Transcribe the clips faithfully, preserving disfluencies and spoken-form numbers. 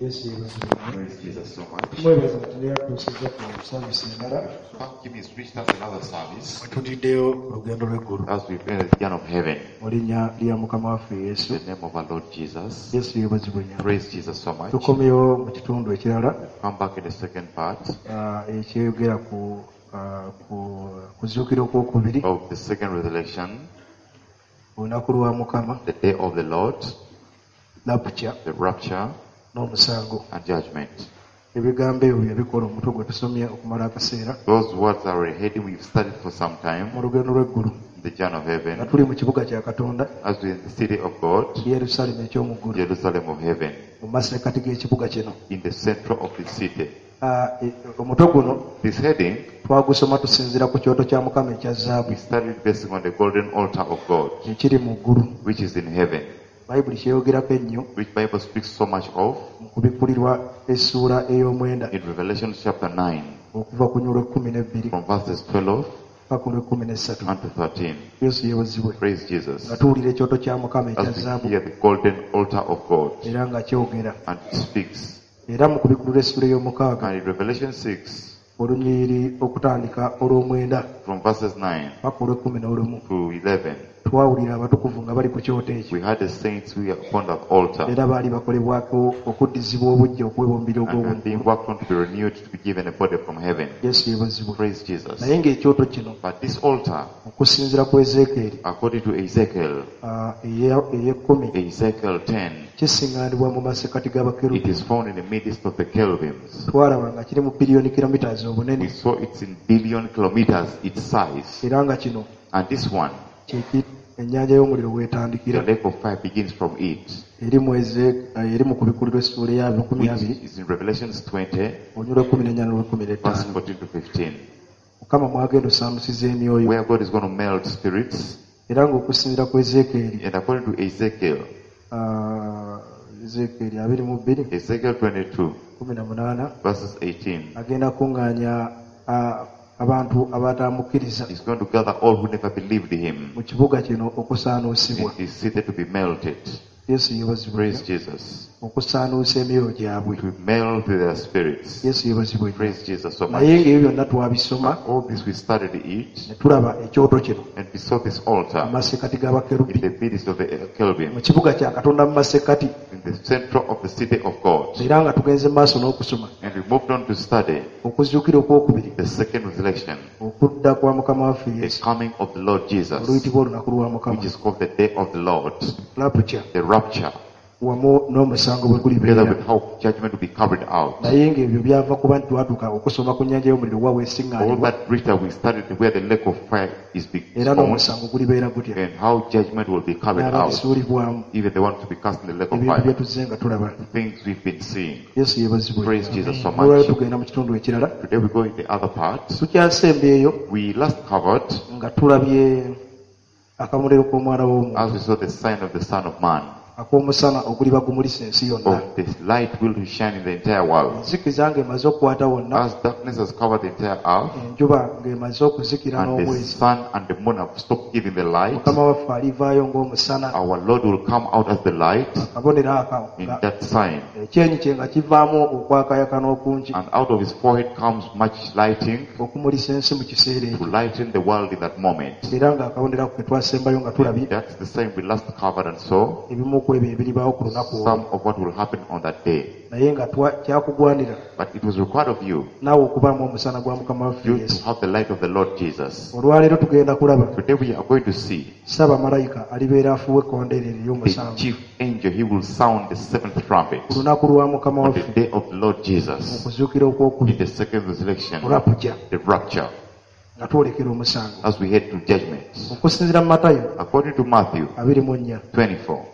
Yesu yeebazibwe. Praise Jesus so much. Tumwebaza nti yatuusiza ku service endala. Thank him, he's reached us another service mwe tutiddeyo olugendo lw'eggulu as we've entered the journey of heaven. Mu linnya lya Mukama waffe In Yesu. the name of our Lord Jesus. Yesu yeebazibwe nnyo. Praise Jesus so much. Tukomyewo mu kitundu ekirala Come back in the second part ah, ekyeyogera ku ah, ku kuzuukira okwokubiri of the second resurrection, olunaku lwa Mukama, the day of the Lord, rapture the rapture n'omusango. and judgment. Ebigambo ebyo bye bikola omutwe gwe tusomye okumala akaseera Those words are a heading we've studied for some time, mu lugendo lw'eggulu the journey of nga heaven, tuli mu kibuga kya Katonda as we're in the city of God, Yerusaalemi eky'omu ggulu, Jerusalem of heaven, mu masekkati g'ekibuga kino. in the center of the city. Ah, e- omutwe guno This heading, twagusoma tusinziira ku kyoto kya Mukama ekya zaabu we studied based on the golden altar of God, ekiri mu ggulu. which is in heaven, Bayibuli kyeyogerako ennyo which Bible speaks so much of mu kubikkulirwa essuula ey'omwenda in Revelation chapter nine, okuva ku nyulo ekkumi n'ebbiri from verses twelve paka olw'ekkumi n'essatu. unto thirteen. Yesu yeebazibwe. Praise Jesus. Nga tuwulira ekyoto kya Mukama ekya As we zaabu hear the golden altar of God era nga kyogera. and it speaks. Era mu kubikkulirwa essuula ey'omukaaga And in Revelation six, olunyiriri okutandika olw'omwenda from verses nine paka olw'ekkumi n'olumu to eleven, twawulira abatukuvu nga bali ku kyoto ekyo. we had the saints who were upon that altar Era baali bakolebwako okuddizibwa obuggya okuweebwa omubiri and were being ogw'obuntu. worked on to be renewed to be given a body from heaven. Yesu yeebazibwe. Praise Jesus. Naye ng'ekyoto kino But this altar, okusinziira ku Ezeekyeri according to Ezekiel, ah, eya- ey'ekkumi Ezekiel ten, kisiŋŋaanibwa mu masekkati it g'abakerubi. is found in the midst of the cherubims. Twalaba nga kiri mu biliyoni kilometers We obunene saw it's in billion kilometers its size. era nga kino And this one, kyeki ennyanja y'omuliro the weetandikira lake of fire begins from it, eri mu Eze- eh, eri mu kubikkulirwa essuula eya makumi which abiri is in Revelations twenty, olunyiriri lw'ekkumi n'ennya n'olw'ekkumi verse n'ettaano. fourteen to fifteen, Mukama mwagenda osaanusiza emyoyo where God is going to melt spirits. era ng'okusinziira ku Ezeekyeri And according to Ezekiel, ah, Ezeekyeri abiri mu bbiri Ezekiel twenty-two, kumi na munaana verses eighteen, agenda kuŋŋaanya ah, abantu abataamukkiriza he's going to gather all who never believed him mu kibuga kino in okusaanuusibwa. this city to be melted. Yesu yeebazibwe Praise nnyo. Jesus. Okusaanuusa emyoyo gyabwe. To melt their spirits. Yesu yeebazibwe nnyo. Praise Jesus so Naye much. ng'ebyo byonna twabisoma All this we studied it ne tulaba ekyoto kino and we saw this altar mu masekkati in g'abakerubi the midst of the cherubim, mu kibuga kya Katonda mu masekkati in the center of the city of God. era nga tugenze mu maaso n'okusoma And we moved on to study okuzuukira okwokubiri the second resurrection, okudda kwa Mukama waffe the Yesu coming of the Lord Jesus, oluyitibwa olunaku lwa Mukama, which is called the day of the Lord, rapture the rapture, wamu n'omusango bwe together gulibeera. with how judgment will be carried out. Naye ng'ebyo byava kuba nti twatuuka okusoma ku nnyanja y'omuliro wa All weesiŋŋaanibwa that reached we studied where the lake of fire is being era found n'omusango gulibeera gutya and how judgment will be carried out, n'abagisuulibwamu even the ones to be cast in the lake of ebintu bye fire. tuzze nga tulaba. Things we've been seeing. Yesu yeebazibwe. Praise Jesus so Olwaleero much. tugenda mu kitundu ekirala. Today we go in the other part. Tukyasembyeyo We last covered nga tulabye akamuliro k'omwana w'omuntu as we saw the sign of the Son of Man, ak'omusana oguliba gumulisa ensi yonna. of the light will shine in the entire world. Enzikiza ng'emaze okukwata wonna, As darkness has covered the entire earth, enjuba ng'emaze okuzikira and the n'omwezi, sun and the moon have stopped giving the light, Mukama waffe alivaayo ng'omusana our Lord will come out as the light akabonero ako in nga that sign. ekyenyi kye nga kivaamu okwakayakana okungi And out of his forehead comes much lighting okumulisa ensi mu kiseera to ekyo lighten the world in that moment. era ng'akabonero ako ke twasembayo nga tulabye That's the sign we last covered and saw ebimu ku ebyo ebiribaawo ku lunaku olwo some of what will happen on that day. naye nga twa- kyakugwanira But it was required of you, naawe okubaamu omusana gwa Mukama waffe you to Yesu. have the light of the Lord Jesus. Olwaleero tugenda kulaba Today we are going to see Ssaabamalayika alibeera afuuwa ekkondeere the ery'omusanvu chief angel, he will sound the seventh trumpet ku lunaku lwa Mukama on the waffe day of the Lord mu Jesus kuzuukira in okwokubiri the second resurrection, rapture the rapture, nga twolekera omusango. as we head to judgment. Okusinziira mu Matayo According to Matthew abiri mu nnya twenty-four,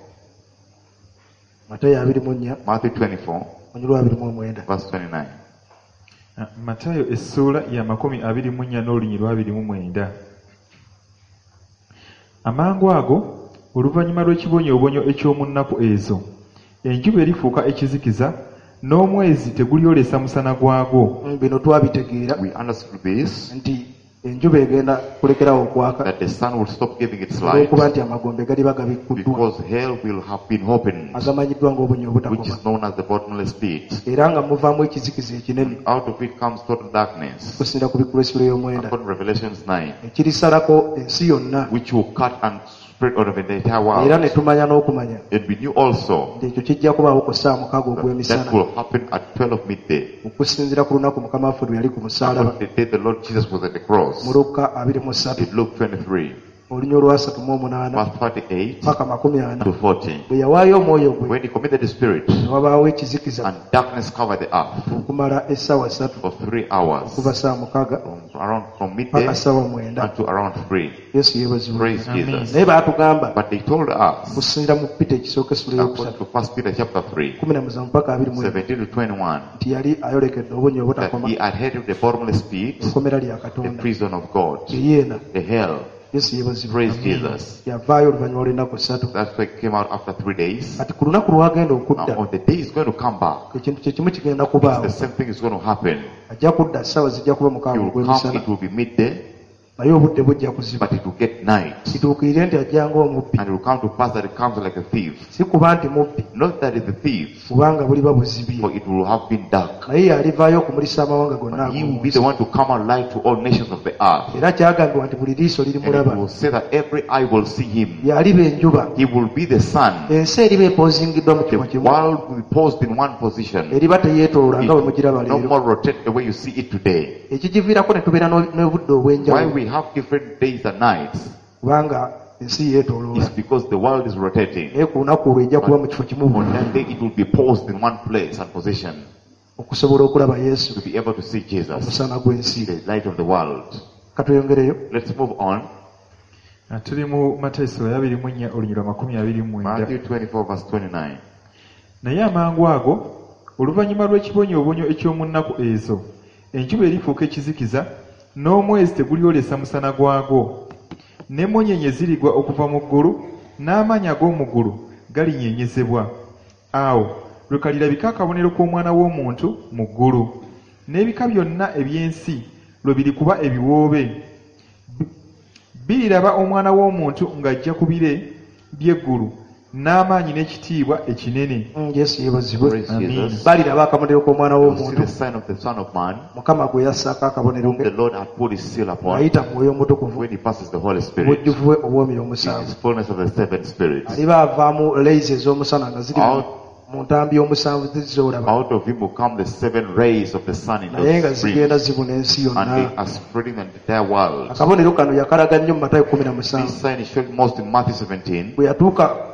Matayo abiri mu nnya Matthew twenty-four, olunyiriri abiri mu omwenda verse twenty-nine. Matayo essuula ya makumi abiri mu nnya n'olunyiriri lw'abiri mu mwenda. Amangu ago oluvannyuma lw'ekibonyoobonyo eky'omu nnaku ezo, enjuba erifuuka ekizikiza n'omwezi tegulyolesa musana gwagwo. Bino twabitegeera We understood this nti Enjuba egenda kulekerawo okwaka That the sun will stop giving its light olw'okuba nti amagombe galiba gabikkuddwa because hell will have been opened, agamanyiddwa ng'obunnya which obutakoma is known as the bottomless pit. era nga muvaamu ekizikiza ekinene Out of it comes total darkness. okusinziira ku bikkula essula y'omwenda According to Revelations nine, ekirisalako ensi yonna which will cut and spread out of the entire era ne world. tumanya n'okumanya And we knew also nti ekyo kijja kubaawo ku ssaawa mukaaga that that ogw'emisana will happen at twelve midday. okusinziira ku lunaku Mukama waffe lwe yali ku musaalaba According to the day the Lord Jesus was at the cross. mu Lukka abiri mu ssatu In Luke twenty-three, olunya olwasatu mu omunaana verse thirty-eight paka makumi ana to forty. bwe yawaayo omwoyo gwe When he committed the spirit, ne wabaawo ekizikiza and darkness covered the earth okumala essaawa ssatu for three hours, okuva ssaawa mukaaga from around from midday paka ssaawa mwenda unto around three. Yesu yeebazibwe. Praise Amen. Jesus. Naye baatugamba But they told us, okusinziira mu Peter ekisooka essula according ey'okusatu to First Peter chapter three, kumi na musanvu paka abiri mu emu seventeen to twenty-one, nti yali ayolekedde obunnya that obutakoma he adhered to the bottomless pit, ekkomera lya the Katonda prison of God, eyeena the hell. Yesu yeebazibwe. Praise Jesus. Yavaayo oluvannyuma lw'ennaku ssatu. That's why he came out after three days. Kati ku lunaku lw'agenda okudda Now, on the day he's going to come back, ekintu kye kimu kigenda kubaawo. the same thing is going to happen. Ajja kudda ssaawa zijja kuba He mukaaga will come, ogw'emisana it will be midday, naye obudde bujja kuziba but it will get night. kituukirire nti ajja ng'omubbi And it will come to pass that it comes like a thief. si kuba nti mubbi Not that it's a thief, kubanga buliba buzibye for it will have been dark. naye yalivaayo okumulisa amawanga gonna But he will ag'omu be nsi the one to come and light to all nations of the earth. era kyagambibwa nti buli liiso And it lirimulaba will say that every eye will see him. yaliba enjuba He will be the sun. ensi eriba epozingiddwa mu kifo The kimu world will be posed in one position. eriba teyeetooloola It nga bwe mugiraba will no leero more rotate the way you see it today. ekigiviirako ne tubeera n'o- n'obudde Why obw'enjawulo we have different days and nights kubanga ensi yeetooloola is because the world is rotating. naye ku lunaku olwo ejja kuba mu kifo kimu On that day it will be posed in one place and position okusobola okulaba Yesu to be able to see Jesus, omusana gw'ensi the light of the world. katweyongereyo Let's move on. Ah, tuli mu Matayo essula ya abiri mu nnya olunyiriri lwa makumi abiri mu mwenda. Matthew twenty-four verse twenty-nine. Naye amangu ago oluvannyuma lw'ekibonyoobonyo eky'omu nnaku ezo enjuba erifuuka ekizikiza n'omwezi tegulyolesa musana gwagwo n'emmunyeenye zirigwa okuva mu ggulu n'amaanyi ag'omu ggulu galinyeenyezebwa awo lwe kalirabika akabonero k'omwana w'omuntu mu ggulu n'ebika byonna eby'ensi lwe birikuba ebiwoobe biriraba omwana w'omuntu ng'ajja ku bire by'eggulu n'amaanyi n'ekitiibwa ekinene. Mm, Yesu yeebazibwe. Praise Amen. Jesus. Baliraba akabonero k'omwana You will see w'omuntu the sign of the Son of Man, Mukama gwe yassaako akabonero whom ke the Lord had put his seal upon ng'ayita mu mwoyo omutukuvu when he passes the Holy Spirit obujjuvu bwe obw'omwoyo in omusanvu his fullness of the seven spirits. aliba avaamu leyizi ez'omusana nga ziri Out, mu ntambi y'omusanvu zizoolaba out of him will come the seven rays of the sun in naye nga those zigenda streams, zibuna ensi and yonna. they are spreading the entire world. Akabonero kano yakalaga nnyo mu Matayo kumi na musanvu This sign is shown most in Matthew seventeen, bwe yatuuka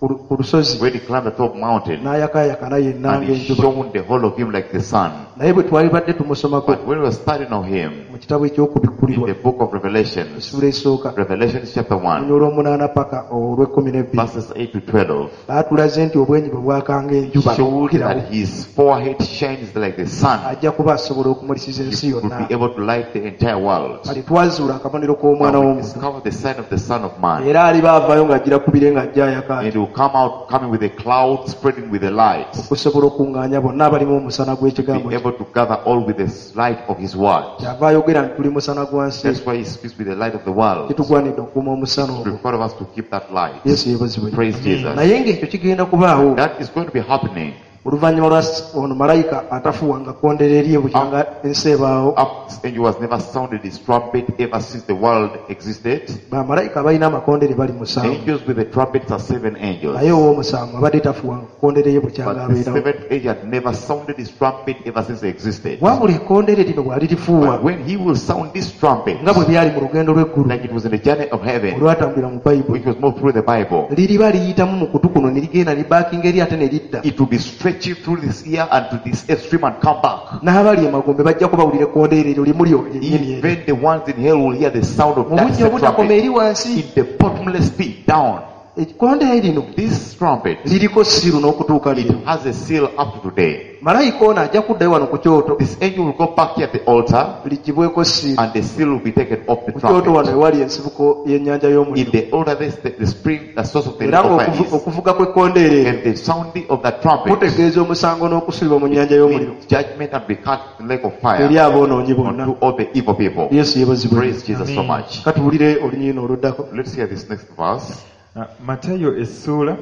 ku lu- ku lusozi when he climbed the top mountain n'ayakaayakana yenna and he ng'enjuba shone the whole of him like the sun. naye bwe twalibadde tumusomako But when we were studying of him mu kitabo in eky'okubikkulirwa the book of Revelations, essula esooka Revelations chapter one, olunya olw'omunaana paka olw'ekkumi n'ebbiri verses eight to twelve, baatulaze nti obwenyi bwe bwakanga enjuba showed okukirawo that his forehead shines like the sun. ajja kuba asobola okumulisiza ensi He would yonna be able to light the entire world. kati twazuula akabonero k'omwana Now we w'omuntu discover the sign of the Son of Man. era aliba avaayo ng'ajjira ku bire ng'ajja ayaka And he will come out coming with a cloud, spreading with the light. okusobola okuŋŋaanya bonna abalimu omusana gw'ekigambo Be kye able to gather all with the light of his word. kyava ayogera nti tuli musana gwa nsi That's why he speaks with the light of the world. kitugwanidde okukuuma omusana ogwo Require of us to keep that light. Yesu yeebazibwe. Praise Jesus. Naye ng'ekyo kigenda kubaawo That is going to be happening. oluvannyuma lwa s- ono malayika atafuuwanga kkondere erye bukyanga ensi ebaawo Up this angel has never sounded his trumpet ever since the world existed. bamalayika abalina amakondere bali musanvu Angels with the trumpets are seven angels. naye ow'omusanvu abadde tafuuwanga kkondere ye bukyanga But the abeerawo seventh angel had never sounded his trumpet ever since it existed. wabula ekkondere lino bw'alirifuuwa But when he will sound this trumpet, nga bwe byali mu lugendo lw'eggulu like it was in the journey of heaven, olwatambulira mu bayibuli which was moved through the Bible, liriba liyitamu mu kutu kuno ne ligenda libaakinga eri ate ne lidda it will be stretching through this ear and to this extreme and come back. n'abali emagombe bajja kubawulira ekkondeere eryo limu lyo lyennyini eryo Even the ones in hell will hear the sound of mu that bunnya same obutakoma trumpet eri wansi in the bottomless pit down. Ekkondeere lino This trumpet, liriko seal n'okutuuka it leero. has a seal up to today. Malayika ono ajja kuddayo wano ku kyoto This angel will go back here at the altar ligibweko seal. and the seal will be taken off the Ku kyoto wano trumpet. ewali ensibuko y'ennyanja In y'omuliro. the altar, there's the, the spring, the source of the Era lake of fire ng'okuvu- is. okuvuga kw'ekkondeere eryo And the sounding of the trumpet kutegeeza omusango n'okusulibwa mu nnyanja y'omuliro means judgment and be cast in the lake of eri fire aboonoonyi bonna. unto all the evil people. Yesu yeebazibwe. Praise Jesus so Amen. much. Katuwulire olunyiriri oluddako. Let's hear this next verse. Ah, Matayo essuula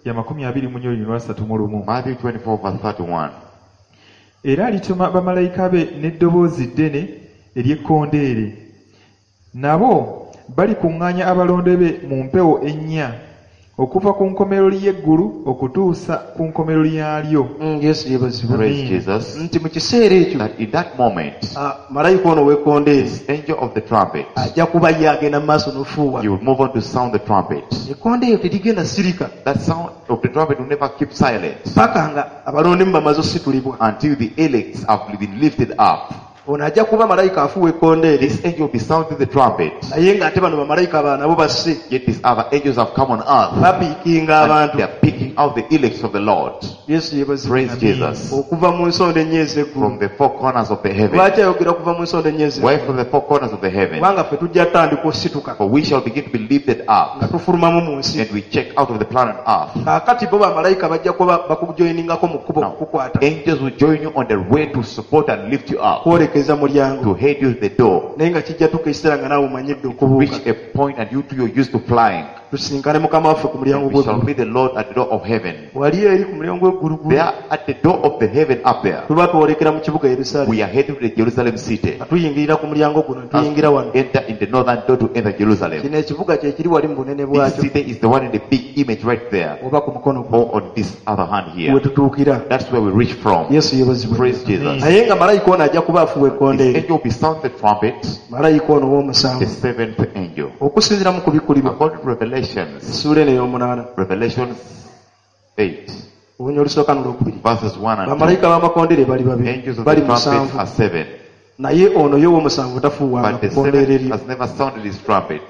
ya makumi abiri mu nnya lwasatu mu lumu. Matthew twenty-four verse thirty-one. Era alituma bamalayika be n'eddoboozi ddene ery'ekkondeere. Nabo balikuŋŋaanya abalonde be mu mpewo ennya okuva ku nkomerero y'eggulu okutuusa ku nkomerero yaalyo. Mm, Yesu yeebazibwe. Praise Amen. Jesus. Nti mu kiseera ekyo That in that moment, ah, malayika ono ow'ekkondeere this angel of the trumpet, ajja kuba ye agenda mu maaso n'ofuuwa. he will move on to sound the trumpet. Ekkondeere terigenda sirika That sound of the trumpet will never keep silent paka nga abalondemu bamaze ositulibwa. until the elects have been lifted up. Ono ajja kuba malayika afuuwa ekkondeere This angel will be sounding the trumpet. naye ng'ate bano bamalayika abalala nabo basse Yet these other angels have come on earth. bapiikinga And abantu. they are picking out the elects of the Lord. Yesu yeebazibwe. Praise Amen. Jesus. Okuva mu nsonda ennya ez'eggulu. From the four corners of the heaven. Lwaki ayogera okuva mu nsonda ennya ez'eggulu? Why from the four corners of the heaven? Kubanga ffe tujja tandika osituka For we shall begin to be lifted up nga tufulumamu mu nsi. and we check out of the planet earth. Kaakati bo bamalayika bajja kuba bakujoyiningako mu kkubo Now, okukukwata angels will join you on the way to support and lift you up, kwolekeza mulyango. to head you to the door. Naye nga kijja tuuka ekiseera nga naawe omanyidde okubuuka. Reach a point and you too you're used to flying. Tusinkane Mukama waffe ku mulyango We shall gw'eggulu. meet the Lord at the door of heaven. Wali eri ku mulyango gw'eggulu They are at the door of the heaven up there. tuba twolekera mu kibuga Yerusaalemi. We are heading to the Jerusalem city. Nga tuyingirira ku mulyango guno ne As tuyingira wano. we enter in the northern door to enter Jerusalem. Kino ekibuga kye kiri wali mu bunene This bwakyo city is the one in the big image right there, oba ku mukono gwo or on this other hand here. we tutuukira. That's where we reach from. Yesu yeebazibwe. Praise Jesus. Naye nga malayika ono ajja kuba afuuwa This ekkondeere. angel will be sound the trumpet, Malayika ono the ow'omusanvu. seventh angel. Okusinziira mu kubikkulirwa According to Revelations, essuula eno ey'omunaana Revelations eight, olunya olusooka n'olwokubiri. verses one and two. Bamalayika b'amakondere bali babiri Angels of bali the trumpet musanvu are seven, naye ono ye ow'omusanvu tafuuwanga but the ku kkondeere seventh lye. has never sounded his trumpet.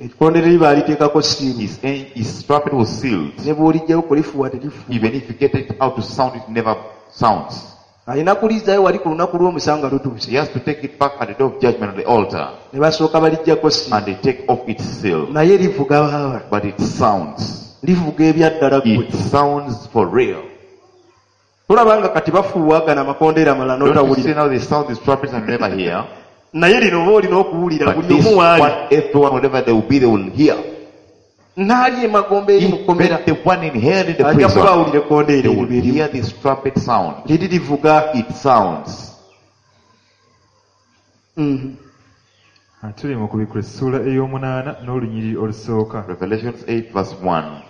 Ekkondeere lye baaliteekako siiru His, his trumpet was sealed. ne bw'olijjayo kulifuuwa terifuuwa. Even if you get it out to sound, it never sounds. Alina kulizaayo wali ku lunaku lw'omusango nga lutuuse. He has to take it back at the door of judgment on the altar, Ne basooka baliggyako siiru and they take off its seal. naye livuga baaba But it sounds. livuga ebyaddala ggwe. It sounds for real. Tolaba nga kati bafuuwa gano amakondeere amalala Don't you see n'otawulira. now they sound these trumpets and you never hear? Naye lino oba olina okuwulira But buli this omu waali. one, everyone, whatever they will be, they will hear. N'ali emagombe eri mu Even kkomera the one in hell in the ajja prison, kuba awulira ekkondeere they eryo will lyerimu. hear this trumpet sound. Liri livuga. It sounds. Mhm. Ah, tuli mu kubikkula essuula ey'omunaana n'olunyiriri olusooka. Revelations eight verse one.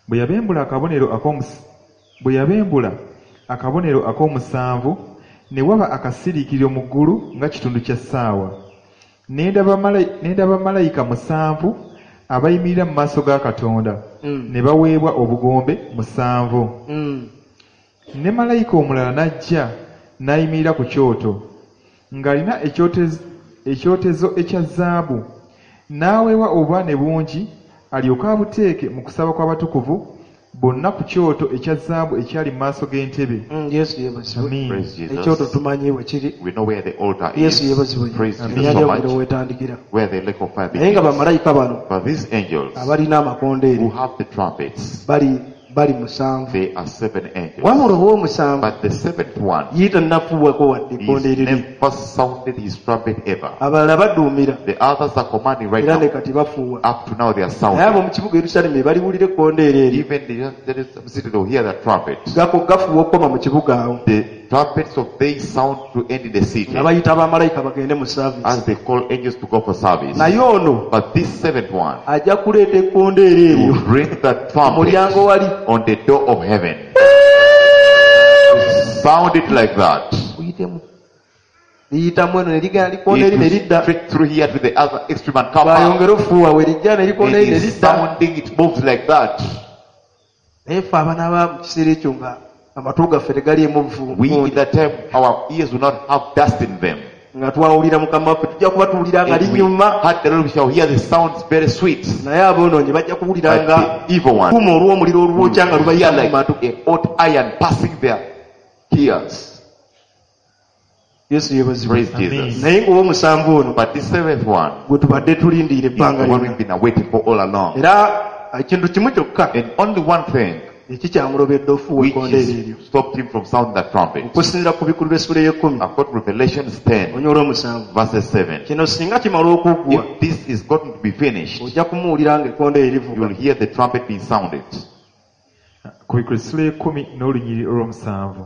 Bwe yabembula akabonero ak'omus- bwe yabembula akabonero ak'omusanvu ne waba akasiriikiriro mu ggulu nga kitundu kya ssaawa. Ne ndaba malayi- ne ndaba malayika musanvu abayimirira mu maaso ga Katonda Mm. ne baweebwa obugombe musanvu. Mm. Ne malayika omulala n'ajja n'ayimirira ku kyoto ng'alina ekyotezo ekyotezo ekya zaabu n'aweebwa obubaane bungi alyoke abuteeke mu kusaba kw'abatukuvu bonna ku kyoto ekya zaabu ekyali mu maaso g'entebe. Mm, Yesu yeebazibwe. Amiina. Praise Jesus. Ekyoto tumanyi we kiri. We know where the altar Yesu is. yeebazibwe. Praise Jesus Ennyanja so y'omuliro much. weetandikira. Where the lake of fire Naye nga begins. bamalayika bano But these angels abalina amakondeere who have the trumpets, bali bali musanvu. they are seven angels. Wabula ow'omusanvu But the seventh one, ye tannafuuwako wadde he's ekkondeere lye. never sounded his trumpet ever. Abalala baduumira The others are commanding right era ne now. kati bafuuwa. Up to now they are Naye abo sounding. mu kibuga Yerusaalemi baliwulira ekkondeere eryo. Even the Jerusalem city, they will hear the trumpet. Gako gafuuwa okukoma mu kibuga awo. The trumpets of they sound to end in the city Nga bayita bamalayika bagende mu service. as they call angels to go for service. Naye ono But this seventh one ajja kuleeta ekkondeere eryo will bring the ku mulyango trumpet wali on the door of heaven. Sound it like that. kuyitemu liyitamu eno ne ligenda likoona It eri ne will lidda straight through here to the other extreme and come back. bwayongera ofuuwa we lijja ne likoona It eri ne is lidda sounding, it moves like that. naye ffe abanaaba mu kiseera ekyo nga amatu gaffe tegaliimu We, in vvu that time, our ears will not have dust in them. Nga twawulira mukama waffe tujja kuba tuwulira nga If we linyuma heard the Lord, we shall hear the sounds very sweet. Naye aboonoonyi bajja kuwulira But nga the evil one kuma olw'omuliro olwokya nga will hear lubayita mu like matu. A hot iron passing their ears. Yesu yeebazibwe. Praise Amen. Jesus. Naye ng'ow'omusanvu ono But this seventh one gwe tubadde tulindiira is ebbanga the one lyonna. we've been awaiting for all along. Era ekintu kimu kyokka And only one thing ekikyamulobedde ofuuwa which ekkondeere eryo is stopped him from sounding the trumpet. Okusinziira ku bikulu by'essula ey'ekkumi According to Revelations ten, onyola omusanvu verses seven. Kino singa kimala okuggwa If this is gotten to be finished, ojja kumuwulira ng'ekkondeere livuga. You'll hear the trumpet being sounded. Kubikula essula y'ekkumi n'olunyiriri olw'omusanvu.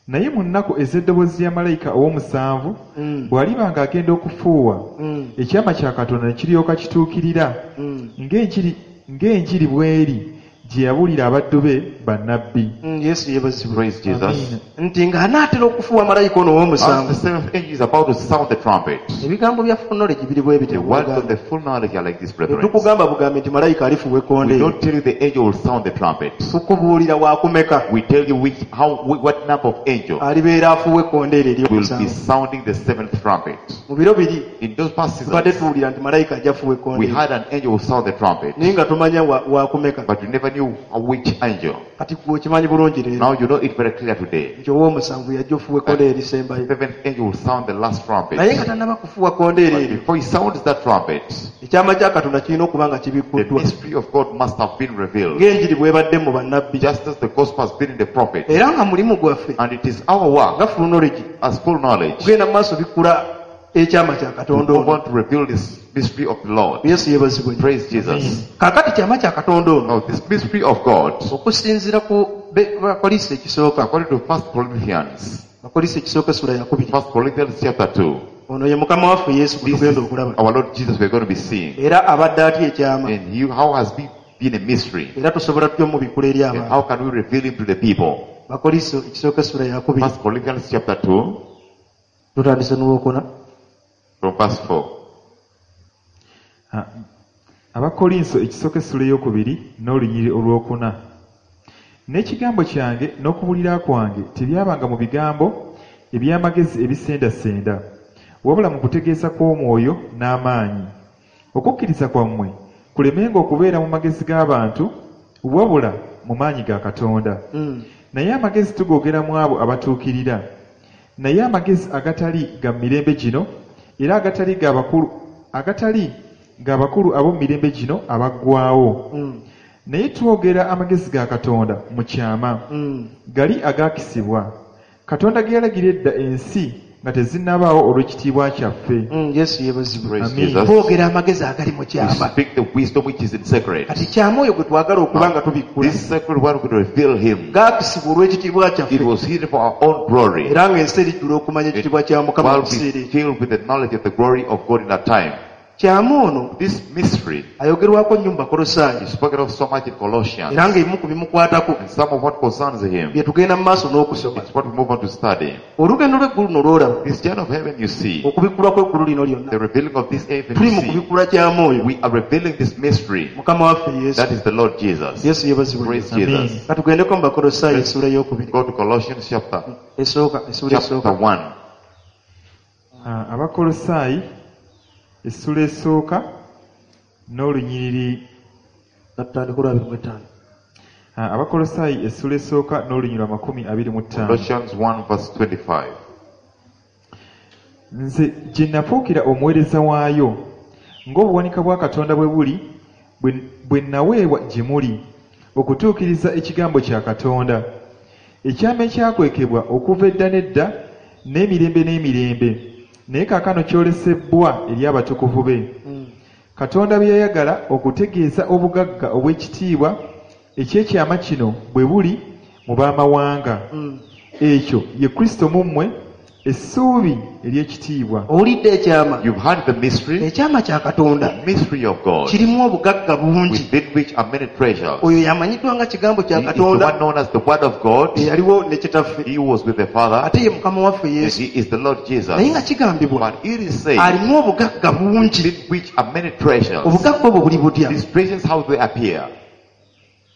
Naye mu nnaku ez'eddoboozi lya malayika ow'omusanvu Mm. bw'aliba ng'agenda okufuuwa Mm. ekyama kya Katonda ne kiryoka kituukirira Mm. ng'enjiri ng'enjiri bw'eri gye yabuulira abaddu be bannabbi. Mm, Yesu yeebazibwe. Praise Jesus. Amiina. Nti ng'anaatera okufuuwa malayika ono As ow'omusanvu the seventh angel is about to sound the trumpet, ebigambo bya full knowledge biri bwe the bityo. words of the full knowledge are like this, brethren. Tetukugamba bugambi nti malayika alifuuwa We ekkondeere. don't tell you the angel will sound the trumpet. Tukubuulira wakumeka We tell you which, how, what number of angels alibeera afuuwa ekkondeere will be ery'omusanvu. Sounding the seventh trumpet. Mu biro biri In those past tubadde seasons, tuwulira nti malayika ajja afuuwa we ekkondeere had an angel who sound the trumpet, naye nga tumanya wa- wakumeka. But you never knew which angel. Kati gwe okimanyi bulungi leero Now you know it very clear today. Nti ow'omusanvu yajja ofuuwa ekkondeere erisembayo. The seventh angel will sound the last trumpet. Naye nga tannaba kufuuwa kkondeere But eryo before he sounds that trumpet, ekyama kya Katonda kirina okuba nga the kibikkuddwa mystery of God must have been revealed, ng'enjiri bw'ebadde mu bannabbi just as the gospel has been in the prophet. Era nga mulimu gwaffe And it is our work nga full knowledge as full knowledge kugenda mu maaso bikkula ekyama kya to Katonda go ono. on to reveal this mystery of the Lord. Yesu yeebazibwe nnyo. Praise Jesus. Kaakati kyama kya Katonda ono Now, this mystery of God, okusinziira ku be- Bakolinso ekisooka according to First Corinthians, Bakolinso ekisooka essula yakubiri First Corinthians chapter two, ono ye mukama waffe Yesu gwe this tugenda is okulaba our Lord Jesus we're going to be seeing. Era abadde atya ekyama And he, how has he been a mystery? Era tusobola tutya omubikkula eri And abantu? how can we reveal him to the people? Bakolinso ekisooka essula yakubiri First Corinthians chapter two, tutandise n'olwokuna from verse four. Ah, Abakolinso ekisooka essula ey'okubiri n'olunyiriri olwokuna. N'ekigambo kyange n'okubulira kwange tebyabanga mu bigambo eby'amagezi ebisendasenda wabula mu kutegeeza kw'omwoyo n'amaanyi okukkiriza kwammwe kulemenga okubeera mu magezi g'abantu wabula mu maanyi ga Katonda. Mm. Naye amagezi tugoogera mu abo abatuukirira naye amagezi agatali ga mirembe gino era agatali ga bakulu agatali ga bakulu ab'omu mirembe gino abaggwaawo. Mm. Naye twogera amagezi ga Katonda mu kyama Mm. gali agaakisibwa Katonda ge yalagira edda ensi nga tezinnabaawo olw'ekitiibwa kyaffe. Mm, Yesu yeebazibwe. Praise Amen. Jesus. Twogera amagezi agali mu We kyama. speak the wisdom which is in secret. Kati kyama oyo gwe twagala okuba nga tubikkula This sacred one could reveal him. gaakisibwa olw'ekitiibwa kyaffe It was hidden for our own glory. Era ng'ensi erijjula okumanya ekitiibwa kya Mukama mu While kiseera be ekyo. filled with the knowledge of the glory of God in that time. Kyama ono This mystery ayogerwako nnyo mu Bakolosaayi is spoken of so much in Colossians. Era ng'ebimu ku bimukwatako And some of what concerns him, bye tugenda mu maaso n'okusoma. It's what we move on to study. Olugendo lw'eggulu luno lw'olaba This journey of heaven you see, okubikkulwa kw'eggulu lino lyonna the revealing of this heaven tuli you mu see, kubikkula kyama oyo we are revealing this mystery. Mukama waffe Yesu. That is the Lord Jesus. Yesu yeebazibwe. Praise Amen. Jesus. Katugendeko mu Bakolosaayi essuula ey'okubiri Go to Colossians chapter, esooka essuula chapter esooka one. Ah, Abakolosaayi essula esooka n'olunyiriri katutandika olwa abiri mu ttaano. Ah, Abakolosaayi essula esooka n'olunyiriri amakumi abiri mu ttaano. Colossians one verse twenty-five. Nze gye nafuukira omuweereza waayo ng'obuwanika bwa Katonda bwe buli bwe- bwe naweebwa gye muli okutuukiriza ekigambo kya Katonda ekyama ekyakwekebwa okuva edda n'edda n'emirembe n'emirembe naye kaakano kyolesebbwa eri abatukuvu be. Mm. Katonda bye yayagala okutegeeza obugagga obw'ekitiibwa eky'ekyama kino bwe buli mu b'amawanga. Mm. Ekyo ye Kristo mu mmwe essuubi ery'ekitiibwa. Owulidde ekyama? You've heard the mystery, Ekyama kya Katonda the mystery of God, kirimu obugagga bungi. Within which are many treasures. Oyo yamanyiddwa nga kigambo kya He is the Katonda one known as the Word of God. eyaliwo ne kitaffe He was with the Father. ate ye Mukama waffe And Yesu. he is the Lord Jesus. Naye nga kigambibwa But it is said, alimu obugagga bungi. Within which are many treasures. Obugagga obwo buli butya? These treasures, how they appear.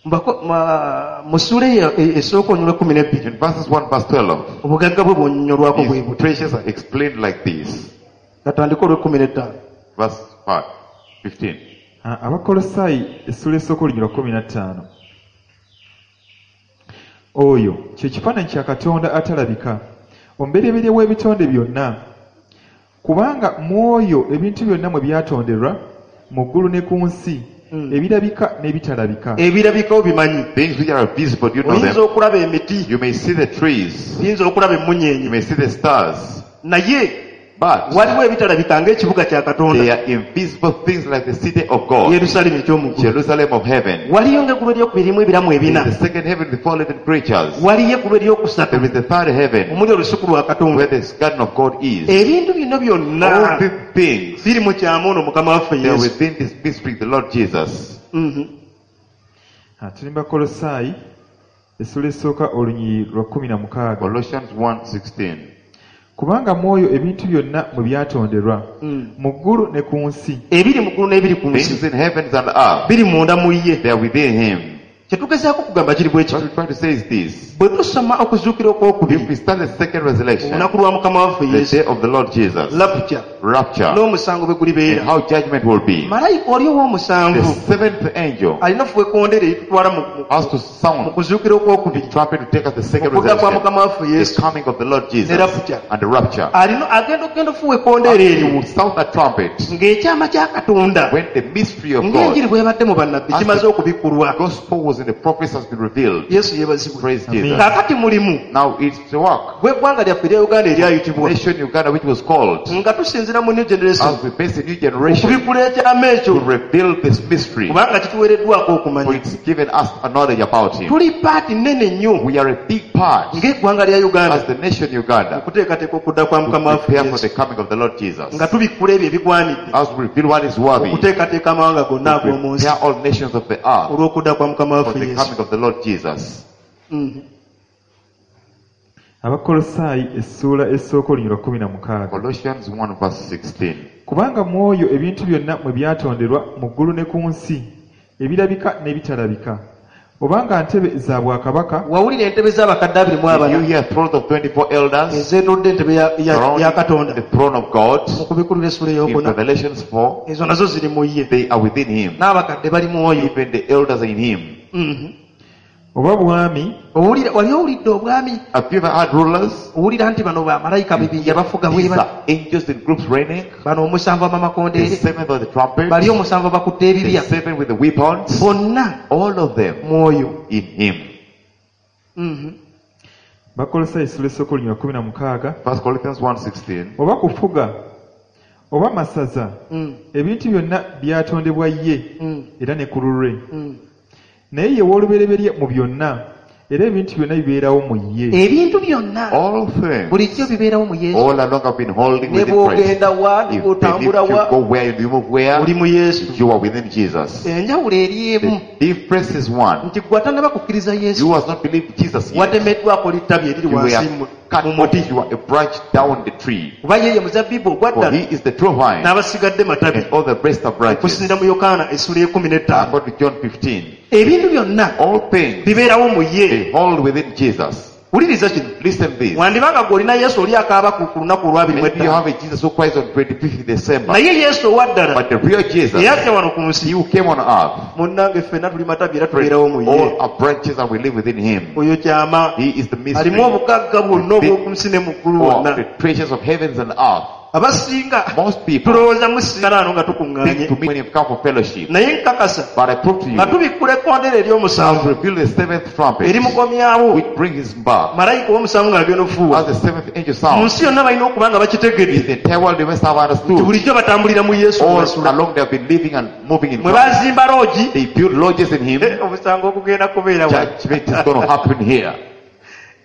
Mbako- ma- mu ssuula eyo e- esooka olunyiriri lw'ekkumi n'ebbiri In verses one verse twelve, obugagga bwe bwonnyolwako bwe his buti treasures are explained like this. katandike olw'ekkumi n'ettaano Verse five, fifteen. Ah, Abakolosaayi essula esooka olunyiriri lwa kkumi na ttaano. Oyo kye kifaananyi kya Katonda atalabika, omubereberye w'ebitonde byonna. Kubanga mu oyo ebintu byonna mwe byatonderwa, mu ggulu ne ku nsi, ebirabika n'ebitalabika. Ebirabika obimanyi. Things which are visible, do you know Oyinza them? okulaba emiti, You may see the trees, oyinza okulaba you emmunyeenye, may see the stars, naye but waliwo ebitalabika ng'ekibuga kya Katonda, they are invisible things like the city of God, Yerusaalemi eky'omu ggulu. Jerusalem of heaven. Waliyo ng'eggulu eryokubiri erimu ebiramu There ebina. is the second heaven with four living creatures. Waliyo eggulu eryokusatu There is the third heaven omuli olusuku lwa Katonda. where the garden of God is. Ebintu bino byonna All these things, biri mu kyama ono Mukama waffe they are Yesu. within this mystery, the Lord Jesus. Mhm. Ah, tuli mu Bakolosaayi essula esooka olunyiriri lwa kkumi na mukaaga. Colossians one sixteen. Kubanga mu oyo ebintu byonna mwe byatonderwa, mu ggulu ne ku nsi. Ebiri mu ggulu n'ebiri ku nsi Things in heavens and earth, biri munda mu ye. they are within him. Kye tugezaako kugamba kiri bwe What kiti. we try to say is this. Bwe tusoma okuzuukira okwokubiri, If we start the second resurrection, olunaku lwa Mukama waffe the Yesu, day of the Lord Jesus, rapture, rapture, n'omusango bwe and gulibeera, how judgment will be. malayika oli The ow'omusanvu seventh angel alina ofuuwa ekkondeere eritutwala mu- mu- has to mu sound kuzuukira okwokubiri, trumpet to take us the second okudda kwa resurrection, Mukama waffe the Yesu coming of the Lord Jesus ne rapture. and the rapture. Alina agenda okugenda ofuuwa ekkondeere He eryo will sound the trumpet ng'ekyama kya Katonda when the mystery of ng'enjiri God, bw'ebadde mu bannabbi As kimaze the okubikkulwa. gospel was in the prophets, has been revealed. Yesu yeebazibwe. Praise Amen. Jesus. Kaakati mulimu Now it's the work. gw'eggwanga lyaffe erya Uganda eryayitibwa Nation Uganda, which was called, nga tusinziira mu new generation as we base a new generation okubikkula ekyama ekyo to reveal this mystery, kubanga kituweereddwako for okumanya. it's given us a knowledge about him. Tuli paati nnene nnyo We are a big part ng'eggwanga lya Uganda as the nation Uganda okuteekateeka okudda kwa to Mukama waffe prepare for Yesu the coming of the Lord Jesus. nga tubikkula ebyo ebigwanidde As we reveal what is worthy, okuteekateeka amawanga gonna to ag'omu nsi prepare all nations of the earth olw'okudda kwa Mukama for waffe the Yesu. coming of the Lord Jesus. Mhm. Abakolosaayi essuula esooka olunyiriri lwa kkumi na mukaaga. Colossians one verse sixteen. Kubanga mu oyo ebintu byonna mwe byatonderwa mu ggulu ne ku nsi, ebirabika n'ebitalabika. Obanga ntebe za bwakabaka, Wawulira entebe z'abakadde abiri mu Did you abana hear thrones of twenty-four elders ezeetodde entebe ya- ya surrounding ya Katonda the throne of God mu kubikulira essula in ey'okuna? Revelations four? Ezo nazo ziri mu ye. They are within him. N'abakadde bali mu oyo. Even the elders are in him. Mhm. Oba bwami, Owulira wali owulidde obwami? Have you ever had rulers? Owulira nti bano bamalayika bibinja bafuga bwe These bati. are angels in groups reigning. Bano omusanvu The ab'amakondeere, seventh of the trumpet. bali omusanvu abakutte The ebibya, seven with the weapons. bonna All of them mwoyo. in him. Mhm. Bakolosaayi essula esooka olunyiriri lwa kkumi na mukaaga, First Corinthians one sixteen. oba kufuga, oba masaza, Mm. ebintu byonna byatondebwa ye Mm. era ne ku lulwe. Mm. Naye ye w'olubereberye mu byonna, era ebintu byonna bibeerawo mu ye. Ebintu byonna All things bulijjo bibeerawo mu Yesu. all along have been holding Ne within Christ. bw'ogenda wa, ne If, bw'otambula if you wa, go where, you move where, oli mu Yesu. you are within Jesus. Enjawulo eri emu The difference is one. nti gwe atannaba kukkiriza Yesu You has not believed Jesus yet. watemeddwako littabi eriri You wansi were mu cut mu off. muti. You are a branch down the tree. Kuba ye ye muzabbibu For ogwa ddala he is the true vine, n'abasigadde matabi and all the rest are branches. okusinziira mu Yokaana essula y'ekkumi n'ettaano. According to John fifteen, Ebintu byonna all things bibeerawo mu ye. they hold within Jesus. Wuliriza kino. Listen this. Wandibanga gwe olina Yesu oli akaaba ku ku lunaku olw'abiri mu Maybe you ettaano. have a Jesus who cries on twenty-fifth December, Naye Yesu owa ddala but the real Jesus, eyajja wano ku he nsi, who came on earth, munnange ffenna tuli matabi era tubeerawo mu ye. all are branches and we live within him. Oyo kyama He is the mystery alimu obugagga bwonna obw'oku nsi ne mu ggulu of wonna. the treasures of heavens and earth. Abasinga Most people tulowooza musiŋŋana wano nga think tukuŋŋaanye, to me when you've come for fellowship, naye nkakasa but I prove to you, nga tubikkula ekkondere ery'omusanvu reveal the seventh trumpet, erimukomyawo which brings him back. malayika ow'omusanvu ng'agenda ofuuwa As the seventh angel mu sounds, nsi yonna balina okuba nga bakitegedde the entire world they must have nti understood. bulijjo batambulira mu Yesu All basula. along they have been living and moving in Mwe Christ. bazimba loogi They build lodges in him. eh, omusango ogugenda kubeera wano. Judgment is going to happen here.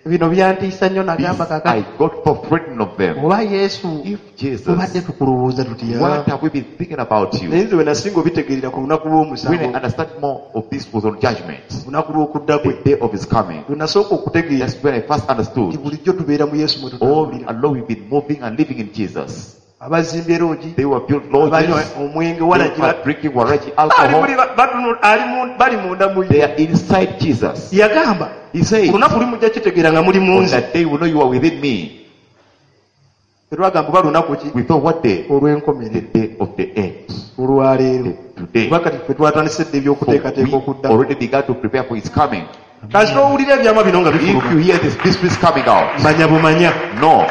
Bino byantiisa nnyo This, nagamba kakati I got for frightened of them. oba Yesu If tubadde Jesus, tukulowooza tutya? what have we been thinking about you? Naye nze we nasinga obitegeerera ku lunaku When I lw'omusango, understand more of this was on judgment, lunaku lw'okudda kwe the day of his coming. lwe nasooka okutegeera That's when I first nti understood. bulijjo tubeera mu Yesu mwe All tutambulira. along we've been moving and living in Jesus. Abazimbye loogi They were built abanywa lodges. omwenge They walagi were drinking waraji ali alcohol. muli ba- batunu- ali mu- bali munda mu They ye are inside Jesus. yagamba He says, olunaku lumujja kitegeera nga muli mu on nze that day we know you are within me. tetwagamba oba lunaku ki We thought what day? The olw'enkomerero day of the end. olwaleero The today. kuba kati ffe twatandise dda For ebyokuteekateeka we okudda already began to prepare for his coming. kasita owulira ebyama bino nga If bifuluma you hear this mysteries coming out, manya bumanya no,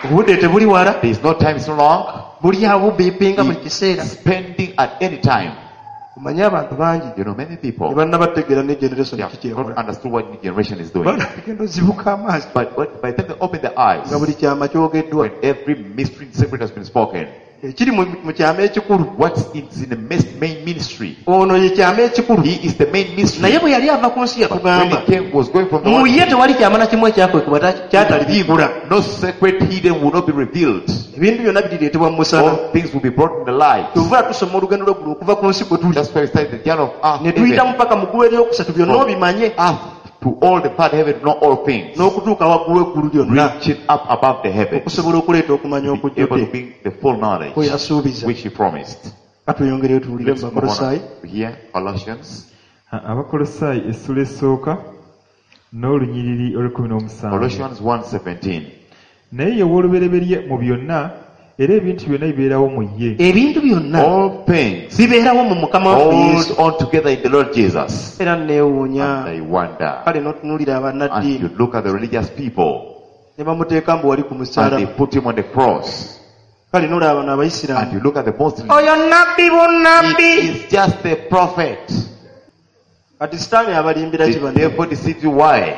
obudde tebuli wala there is no time so long. buli awo beepinga buli kiseera Spending at any time. omanye abantu bangi You know, many people tebannabategeera ne generation they have ki not kyekola understood what new generation is doing. bagenda ozibuka amaaso But what- by the time they open their eyes, nga buli kyama kyogeddwa when every mystery and secret has been spoken, ekiri mu mu kyama ekikulu what is in the mes- main ministry? ono ye kyama ekikulu He is the main mystery. naye bwe yali ava ku nsi But when yatugamba he came, was going from the mu one ye tewali kyama na kimu ekyakwekebwa kyatalibibbula no secret hidden will not be revealed. ebintu byonna birireetebwa mu musana All things will be brought in the light. kyovula tusoma olugendo lw'eggulu okuva ku nsi kwe tuli That's why we started the journey of earth, ne tuyita heaven, mupaka mu ggulu eryokusatu byonna obimanye earth to all the third heaven, know all things, n'okutuuka waggulu eggulu lyonna reaching up above the heavens, okusobola okuleeta okumanya be able to okujjudde bring the full knowledge kwe yasuubiza which he promised. katweyongereyo tuwulire mu Let's move bakolosaayi on here, Colossians, Abakolosaayi essula esooka n'olunyiriri olw'ekkumi n'omusanvu. Colossians one seventeen. Naye ye w'olubereberye mu byonna era ebintu byonna bibeerawo mu ye. Ebintu byonna All things bibeerawo mu mukama waffe hold Yesu on together in the Lord Jesus. era neewuunya And I wonder. kale n'otunuulira And abannaddiini you look at the religious people ne bamuteeka mbu wali ku and they musaalaba put him on the cross. kale n'olaba bano And abayisiraamu you look at the Muslims. oyo nabbi He bunnabbi is just a prophet. kati sitaani abalimbira ki The banne devil deceives you. Why?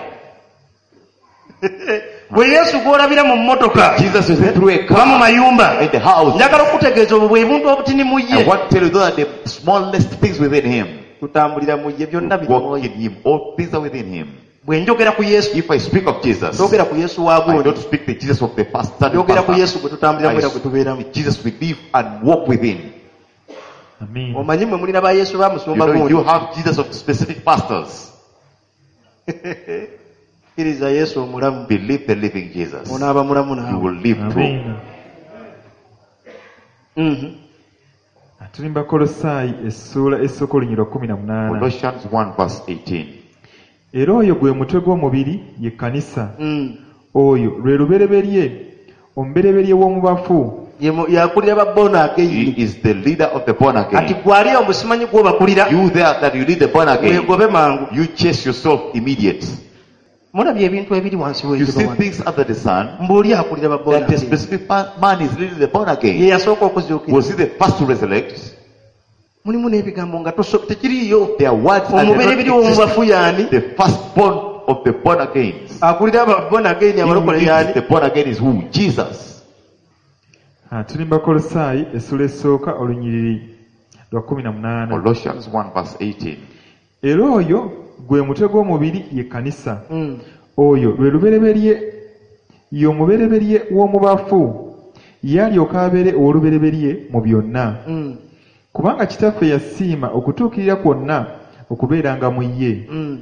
bwe yesu gw'olabira mu mmotoka Jesus is through a oba mu car mayumba in the house. njagala okutegeeza obwo bwe buntu obutini mu I ye want to tell you those are the smallest things within him. tutambulira mu ye byonna biri Walk mu ye in him. All things are within him. bwe njogera ku yesu If I speak of Jesus, njogera ku yesu wa I gundi don't speak the Jesus of the past. njogera ku pastor. yesu gwe tutambuliramu I era gwe tubeeramu speak the Jesus we live and walk within. Amiina. omanyi mwe mulina ba yesu ba You musumba know, gundi you have Jesus of specific pastors. kkiriza yesu omulamu Believe the living Jesus. onaaba mulamu You naawe will live through. Amiina. Mhm. Tuli mu Bakolosaayi essuula esooka olunyiriri lwa kkumi na munaana. Colossians one verse eighteen. Era oyo gwe mutwe gw'omubiri ye kkanisa. Mm. Oyo lwe lubereberye omubereberye w'omu bafu Ye mu- yakulira ba born He again is the leader of the born kati again. gwali omusimanyi gw'obakulira You there that you lead the born again, weegobe mangu you chase yourself immediate. mulabye ebintu ebiri wansi You w'enjuba see wano things under the sun mbuuli akulira ba born that a again specific pa- man is leading the born ye again. yasooka okuzuukira Was he the first to resurrect? mulimu n'ebigambo nga toso- tekiriiyo Their words and omubereberye w'omu bafu y'ani the firstborn of the born again. akulira aba born again He who abalokole leads y'ani the born again is who? Jesus. Ah, tuli mu Bakolosaayi essula esooka olunyiriri lwa kkumi na munaana. Colossians one verse eighteen. Era oyo gwe mutwe gw'omubiri ye kkanisa. Mm. Oyo lwe lubereberye ye omubereberye w'omu bafu ye alyoke abeere ow'olubereberye mu byonna. Mm. Kubanga Kitaffe yasiima okutuukirira kwonna okubeeranga mu ye, Mm.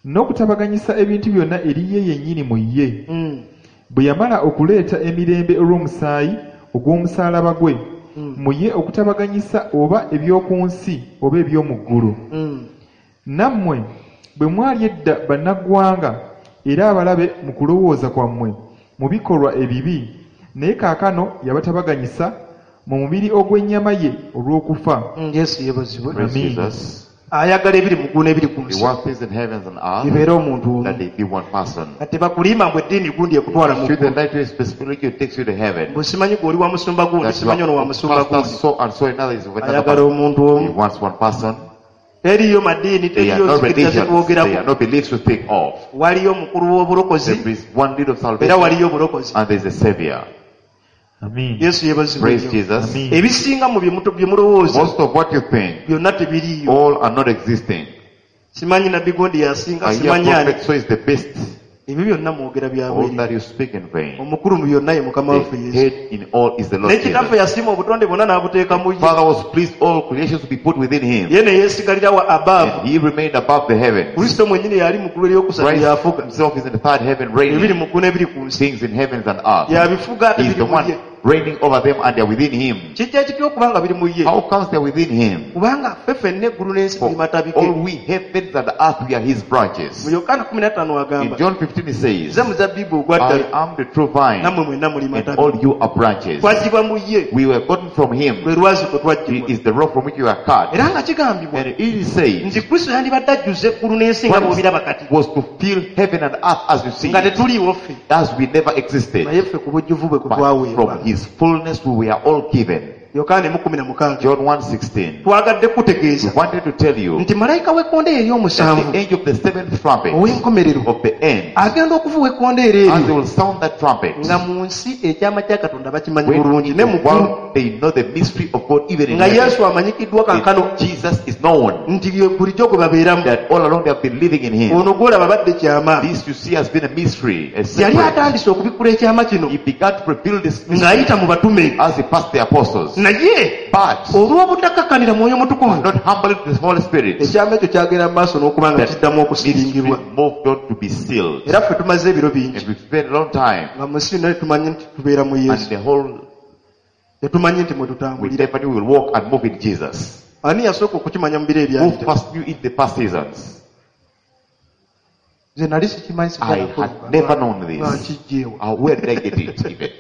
n'okutabaganyisa ebintu byonna eri ye yennyini mu ye, Mm. bwe yamala okuleeta emirembe olw'omusaayi ogw'omusaalaba gwe, Mm. mu ye okutabaganyisa oba eby'oku nsi oba eby'omu ggulu. Mm. Nammwe bwe mwali edda bannaggwanga era abalabe mu kulowooza kwammwe mu bikolwa ebibi, naye kaakano yabatabaganyisa mu mubiri ogw'ennyama ye olw'okufa. Mm, yesu yeebazibwe Praise Amen. Jesus. ayagala ebiri mu ggulu n'ebiri ku He nsi wants things in heavens and earth bibeere omuntu omu that they be one person. kati tebakulimba mbu eddiini gundi ekutwala mu Should the ggulu light to a specific religion takes you to heaven. mbu simanyi gwe oli wa musumba gundi That you simanyi ono wa are musumba pastor gundi so and so another is of another ayagala person. omuntu He omu wants one person. teriyo madiini They are teriyo not nzikiriza religions. They are zetwogerako not beliefs to think of. waliyo omukulu w'obulokozi There is one lead of era salvation waliyo obulokozi and there is a savior. Amiina. yesu yeebazibwe Praise nnyo. Jesus. Amiina. ebisinga mu bye mutu- bye mulowooza Most of what you think, byonna tebiriiyo all are not existing. simanyi nabbi gundi yasinga I hear simanyi ani prophet so is the best. ebyo byonna mwogera All byabwereere that you speak in vain. omukulu mu byonna ye mukama waffe The yesu head in all is the Lord naye kitaffe Jesus. yasiima obutonde bwonna n'abuteeka mu ye Father was pleased all creations to be put within him. ye ne yeesigalira wa abaavu And he remained above the heavens. kristo mwennyini yali mu ggulu eryokusatu Christ yafuga himself is in the third heaven ebiri reigning mu ggulu n'ebiri ku nsi things in heavens and earth. yabifuga ate He is biri the mu one ye reigning over them and they are within him. Kijja kitya okuba nga biri mu ye? How comes they are within him? Kubanga ffe ffenna eggulu n'ensi For tuli matabi all ge. we heavens and earth, we are his branches. Mu Yokaana kumi na ttaano In agamba, John fifteen he says, nze muzabbibu ogwa I ddala, am the true vine, nammwe mwenna muli and matabi. all you are branches. Twaggyibwa mu ye, We were gotten from him. lwe lwazi kwe He twaggyibwa. is the rock from which you are cut. Era nga kigambibwa And it is said, nti Kristo yandibadde ajjuza eggulu n'ensi nga bw'obiraba kati, was to fill heaven and earth as you see nga it, tetuliiwo ffe, as we never existed. naye ffe ku bujjuvu bwe kwe But twaweebwa. from his fullness we were all given. Yokaana emu kumi na mukaaga. John one sixteen. Twagadde We kutegeeza wanted to tell you nti malayika w'ekkondeere that ery'omusanvu the angel of the seventh trumpet ow'enkomerero of the end, agenda okufuuwa ekkondeere as they eryo will sound that trumpet, nga mu nsi ekyama kya Katonda bakimanyi when bulungi in ne the mu ggulu world they know the mystery of God even in nga heaven. Yesu amanyikiddwa kankano That Jesus is known, nti ye bulijjo gwe babeeramu. that all along they have been living in him. Ono gw'olaba badde kyama. This you see has been a mystery, a Yali secret. atandise okubikkula ekyama kino He began to reveal this mystery ng'ayita mu batume, as he passed the apostles. naye But olw'obutakakkanira Mwoyo Mutukuvu, not humbly to the Holy Spirit, ekyama ekyo kyagenda mu maaso n'okuba nga that kiddamu mystery okusiringibwa. moved on to be sealed. Era ffe tumaze ebiro bingi And we spent a long time, nga mu nsi yonna tetumanyi nti tubeera mu and Yesu, the whole tetumanyi nti mwe we tutambulira. never knew we will walk and move in Jesus. Ani yasooka okukimanya mu biro Who ebyayita? first knew it the past seasons? Nze nali sikimanyi, I had never known nga this. nkijjeewa. Uh, where did I get it even?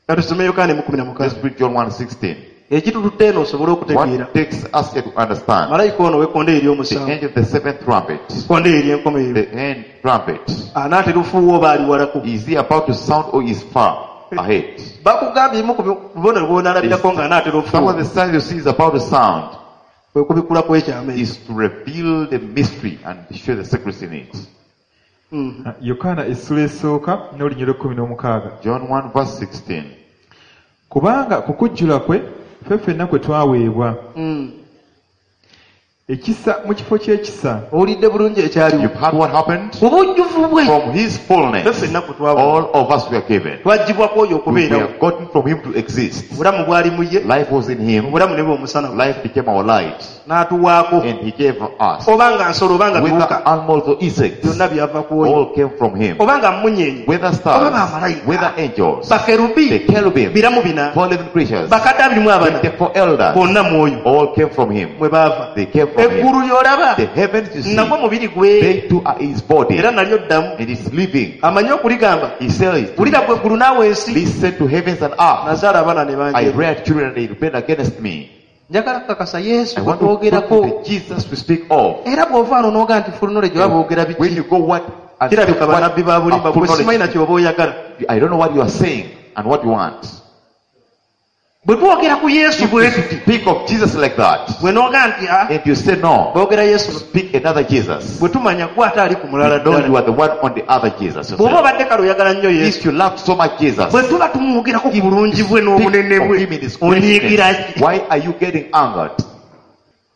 Katusome Yokaana emu kumi na Let's mukaaga. read John one sixteen. Ekitututte eno osobole okutegeera. What takes us here to understand? Malayika ono ow'ekkondeere The ery'omusanvu, end of the seventh trumpet, ekkondeere ery'enkomerero, the end trumpet. anaatera ofuuwa oba ali walako? Is he about to sound or is far ahead? Bakugambye ebimu ku bubonero bw'onaalabirako ng'anaatera Some of ofuuwa the signs you see is about to sound kwe kubikkula kw'ekyama ekyo. is to reveal the mystery and show the secrets in it. Mhm. Yokaana essula esooka n'olunyiriri lw'ekkumi n'omukaaga. John one verse sixteen. Kubanga ku kujjula kwe ffe ffenna kwe twaweebwa Mm. ekisa mu kifo ky'ekisa. Owulidde bulungi ekyaliwo. You've heard what happened? Ku bujjuvu bwe From his ffe fullness, ffenna kwe twaweebwa. all of us were given. Twaggyibwako oyo We okubeerawo. were gotten from him to exist. Obulamu bwali mu ye, Life was in him. obulamu ne bwe omusana gwe. Life became our light. N'atuwaako. And he gave us. Oba nga nsolo oba nga Whether biwuka, animals or insects, byonna byava ku oyo. all came from him. Oba nga mmunyeenye, Whether oba stars, bamalayika, whether angels, the bakerubi, cherubim, biramu bina, four living creatures, bakadde abiri mu abana, twenty-four elders, bonna mwoyo all came from him. mwe baava. They came from him. Eggulu ly'olaba The heavens you see, nagwo mubiri gwe, they too are his body. era nalyo ddamu. And it's living. Amanyi okuligamba, He says, wulira gwe eggulu naawe ensi, listen to heavens and earth. nazaala abaana ne I banjera. reared children and they rebelled against me. Njagala kukakasa Yesu I gwe want to put twogerako. the Jesus we speak of. Era bw'ova wano n'ogaa nti full knowledge oba boogera When biki, you go what and kirabika what bannabbi ba bulimba, a full gwe simanyi knowledge, na ky'oba oyagala. I don't know what you are saying and what you want. Bwe twogera ku Yesu bwe tuti, Speak of Jesus like that, bwe n'ogaa nti ah, and you say no, boogera Yesu, speak another Jesus. bwe tumanya gwe ate ali ku mulala You know ddala. you are the one on the other Jesus. Bw'oba yourself. obadde kale oyagala nnyo Yesu, If you love so much Jesus, bwe tuba tumwogerako ku bulungi bwe speak n'obunene of bwe, him in his onyiigira greatness. ki? Why are you getting angered?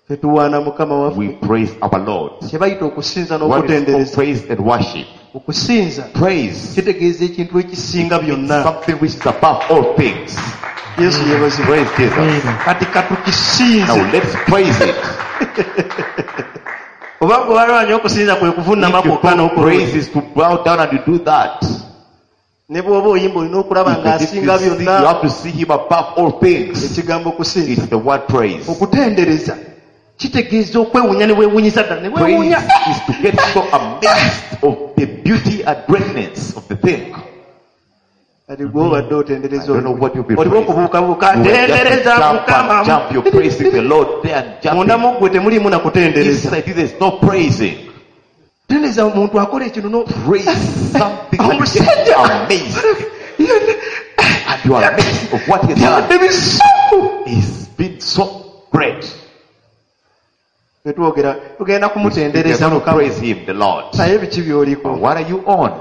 Tetuwaana Mukama We waffe. praise our Lord. Kye bayita okusinza What is called n'okutendereza. praise and worship? Okusinza Praise kitegeeza ekintu ekisinga byonna. something which is above all things. Yesu yeebazibwe. Praise Jesus. Kati katukisinze. Now let's praise it. Oba gwe walwanya okusinza kwe kuvunnama If you kwokka call n'okulwa. praise is to bow down and you do that. Ne bw'oba oyimba olina okulaba If you ng'asinga see, you byonna. have to see him above all things. Ekigambo okusinza. It's the word praise. Okutendereza kitegeeza okwewuunya ne weewuunyisa ddala ne Praise weewuunya. is to get so amazed of the beauty and greatness of the thing. Kati gwe obadde I otendereza don't know what you'll be oliwo praising. okubuukabuuka You will just ntendereza jump Mukama. and jump. You're praising the Lord there and Munda jumping. mu ggwe temuliimu na kutendereza. Inside you, there's no praising. Tendereza omuntu akola ekintu no Praise something that gets Omusajja you amazed. And you are amazed of what he has done. byabadde bisufu. He's been so great. Ffe twogera tugenda We are kumutendereza going to Mukama. praise him, the Lord. Naye biki by'oliko? But what are you on?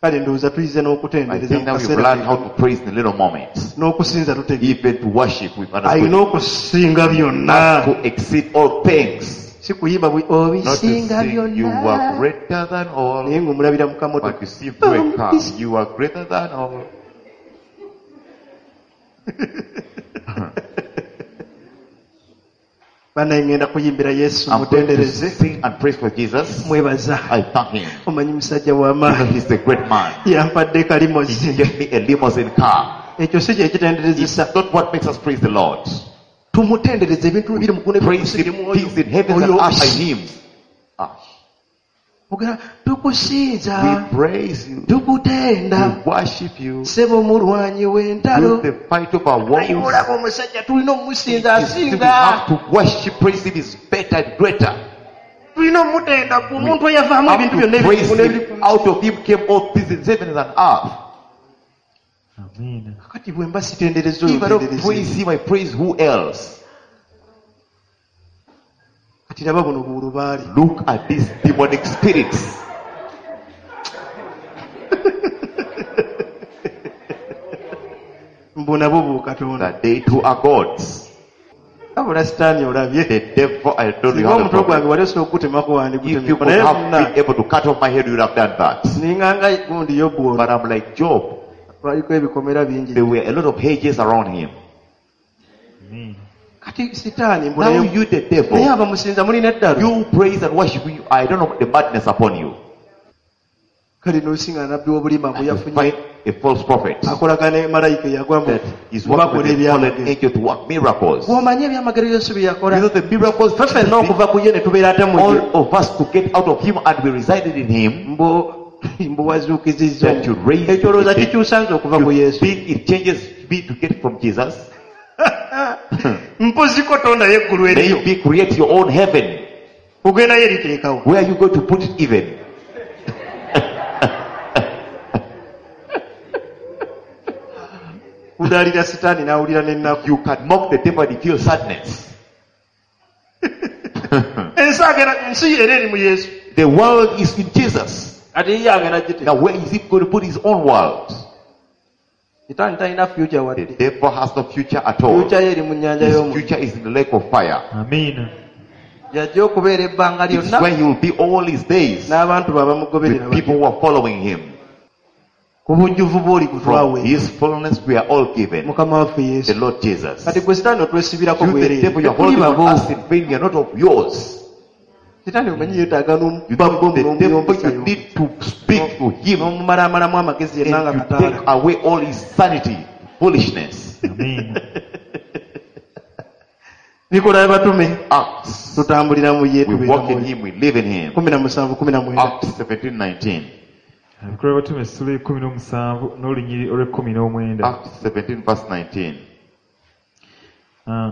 Kale ndowooza tuyize I n'okutendereza think mu now we've kaseera learned how kano. to praise in little moments. N'okusinza tutegeera. Even to worship, we've understood Alina okusinga byonna. to exceed all things. Si kuyimba bwe Not to obisinga sing, you are byonna. greater than all. Naye ng'omulabira mu kamotoka. But you see through a car, you are greater than all. Bannaye ngenda kuyimbira Yesu I'm going to mutendereze sing and praise for Jesus. mwebaza. I thank him. Omanyi musajja You know, w'amaanyi he's a great man. yampadde He kalimozi. gave me a limousine car. Ekyo si kye kitenderezesa. It's not what makes us praise the Lord. Tumutendereze ebintu ebiri mu ggulu Praise n'ebiri him, mu things in heavens and oyo. earth by him. Ah, Ogera tukusinza we praise you. tukutenda We worship you. ssebo mulwanyi w'entalo. You the fight of our Naye wars. olaba omusajja tulina okumusinza It is still we asinga. have to worship, praise him is better and greater. Tulina omutenda gwe omuntu eyavaamu Have ebintu to byonna praise ebiri him. n'ebiri ku nsi. Out of him came all things in heaven and earth. Amiina. Kakati bwe mba sitendereza oyo If I don't ntendereze. praise him, I praise who else? Kati laba buno bulubaale. Look at these demonic spirits. Mbu nabo bukatonda. That they too are gods. Wabula sitaani olabye. The devil, I don't Singa know have a omutwe gwange problem. wali osobola okugutemako If you wandigutemyeko could naye have munna been able to cut off my head, you would have done that. ninganga gundi Yobu ono But I'm like Job. lwaliko ebikomera bingi. There were a lot of hedges around him. Amiina. Kati sitaani mbu Now naye you, the naye devil, abamusinza mulina eddalu. you praise and worship you. I don't know the madness upon you. Kale n'osinga nabbi w'obulimba mbu You yafunye find a false prophet akolagana ne malayika eyagwa mbu that is working bakola with a fallen ebyamagero. angel to work miracles. You Bw'omanyi ebyamagero Yesu bye yakola know the miracles ffe ffenna okuva ku ye ne tubeera ate mu ye. all of us to get out of him and we resided in him. Mbu mbu wazuukizizza That you raise ekyo olowooza the dead. kikyusa nze okuva ku You Yesu. think it changes me to get from Jesus? Mpoziko tondayo eggulu eriyo. Maybe create your own heaven. Ogendayo eriteekawo. Where are you going to put it even? Kudaalira sitaani n'awulira n'ennaku. You can mock the devil and he feels sadness. Ensi agenda ensi era eri mu Yesu. The world is in Jesus. Kati ye agenda giteeka. Now where is he going to put his own world? Sitaani talina future The wadde. devil has no future at all. Future ye eri mu nnyanja His y'omuliro. future is in the lake of fire. Amiina. Yajja okubeera ebbanga It's lyonna where he will be all his days. n'abantu be abamugoberera The people who are following him. Ku bujjuvu bw'oli From kutwawe. his fullness we are all given. Mukama waffe The Yesu. Lord Jesus. Kati gwe sitaani otwesibirako You the bwereere. devil, you are Tetuli holding on babo. us in vain. We are not of yours. Sitaani omanyi yeetaaga You n'omuba know, bomu the devil, n'omuyombesayo. you need to speak to him N'omumalaamalamu amagezi yenna nga and you kataala. take away all his sanity, foolishness. Amiina. Bikola y'abatume Acts. tutambulira mu ye We tubeera walk mu in ye. him, we live in him. Kumi na musanvu kumi na mwenda. Acts seventeen nineteen. Abikolwa batume essula ekkumi n'omusanvu n'olunyiriri olw'ekkumi n'omwenda. Acts seventeen verse nineteen. Ah.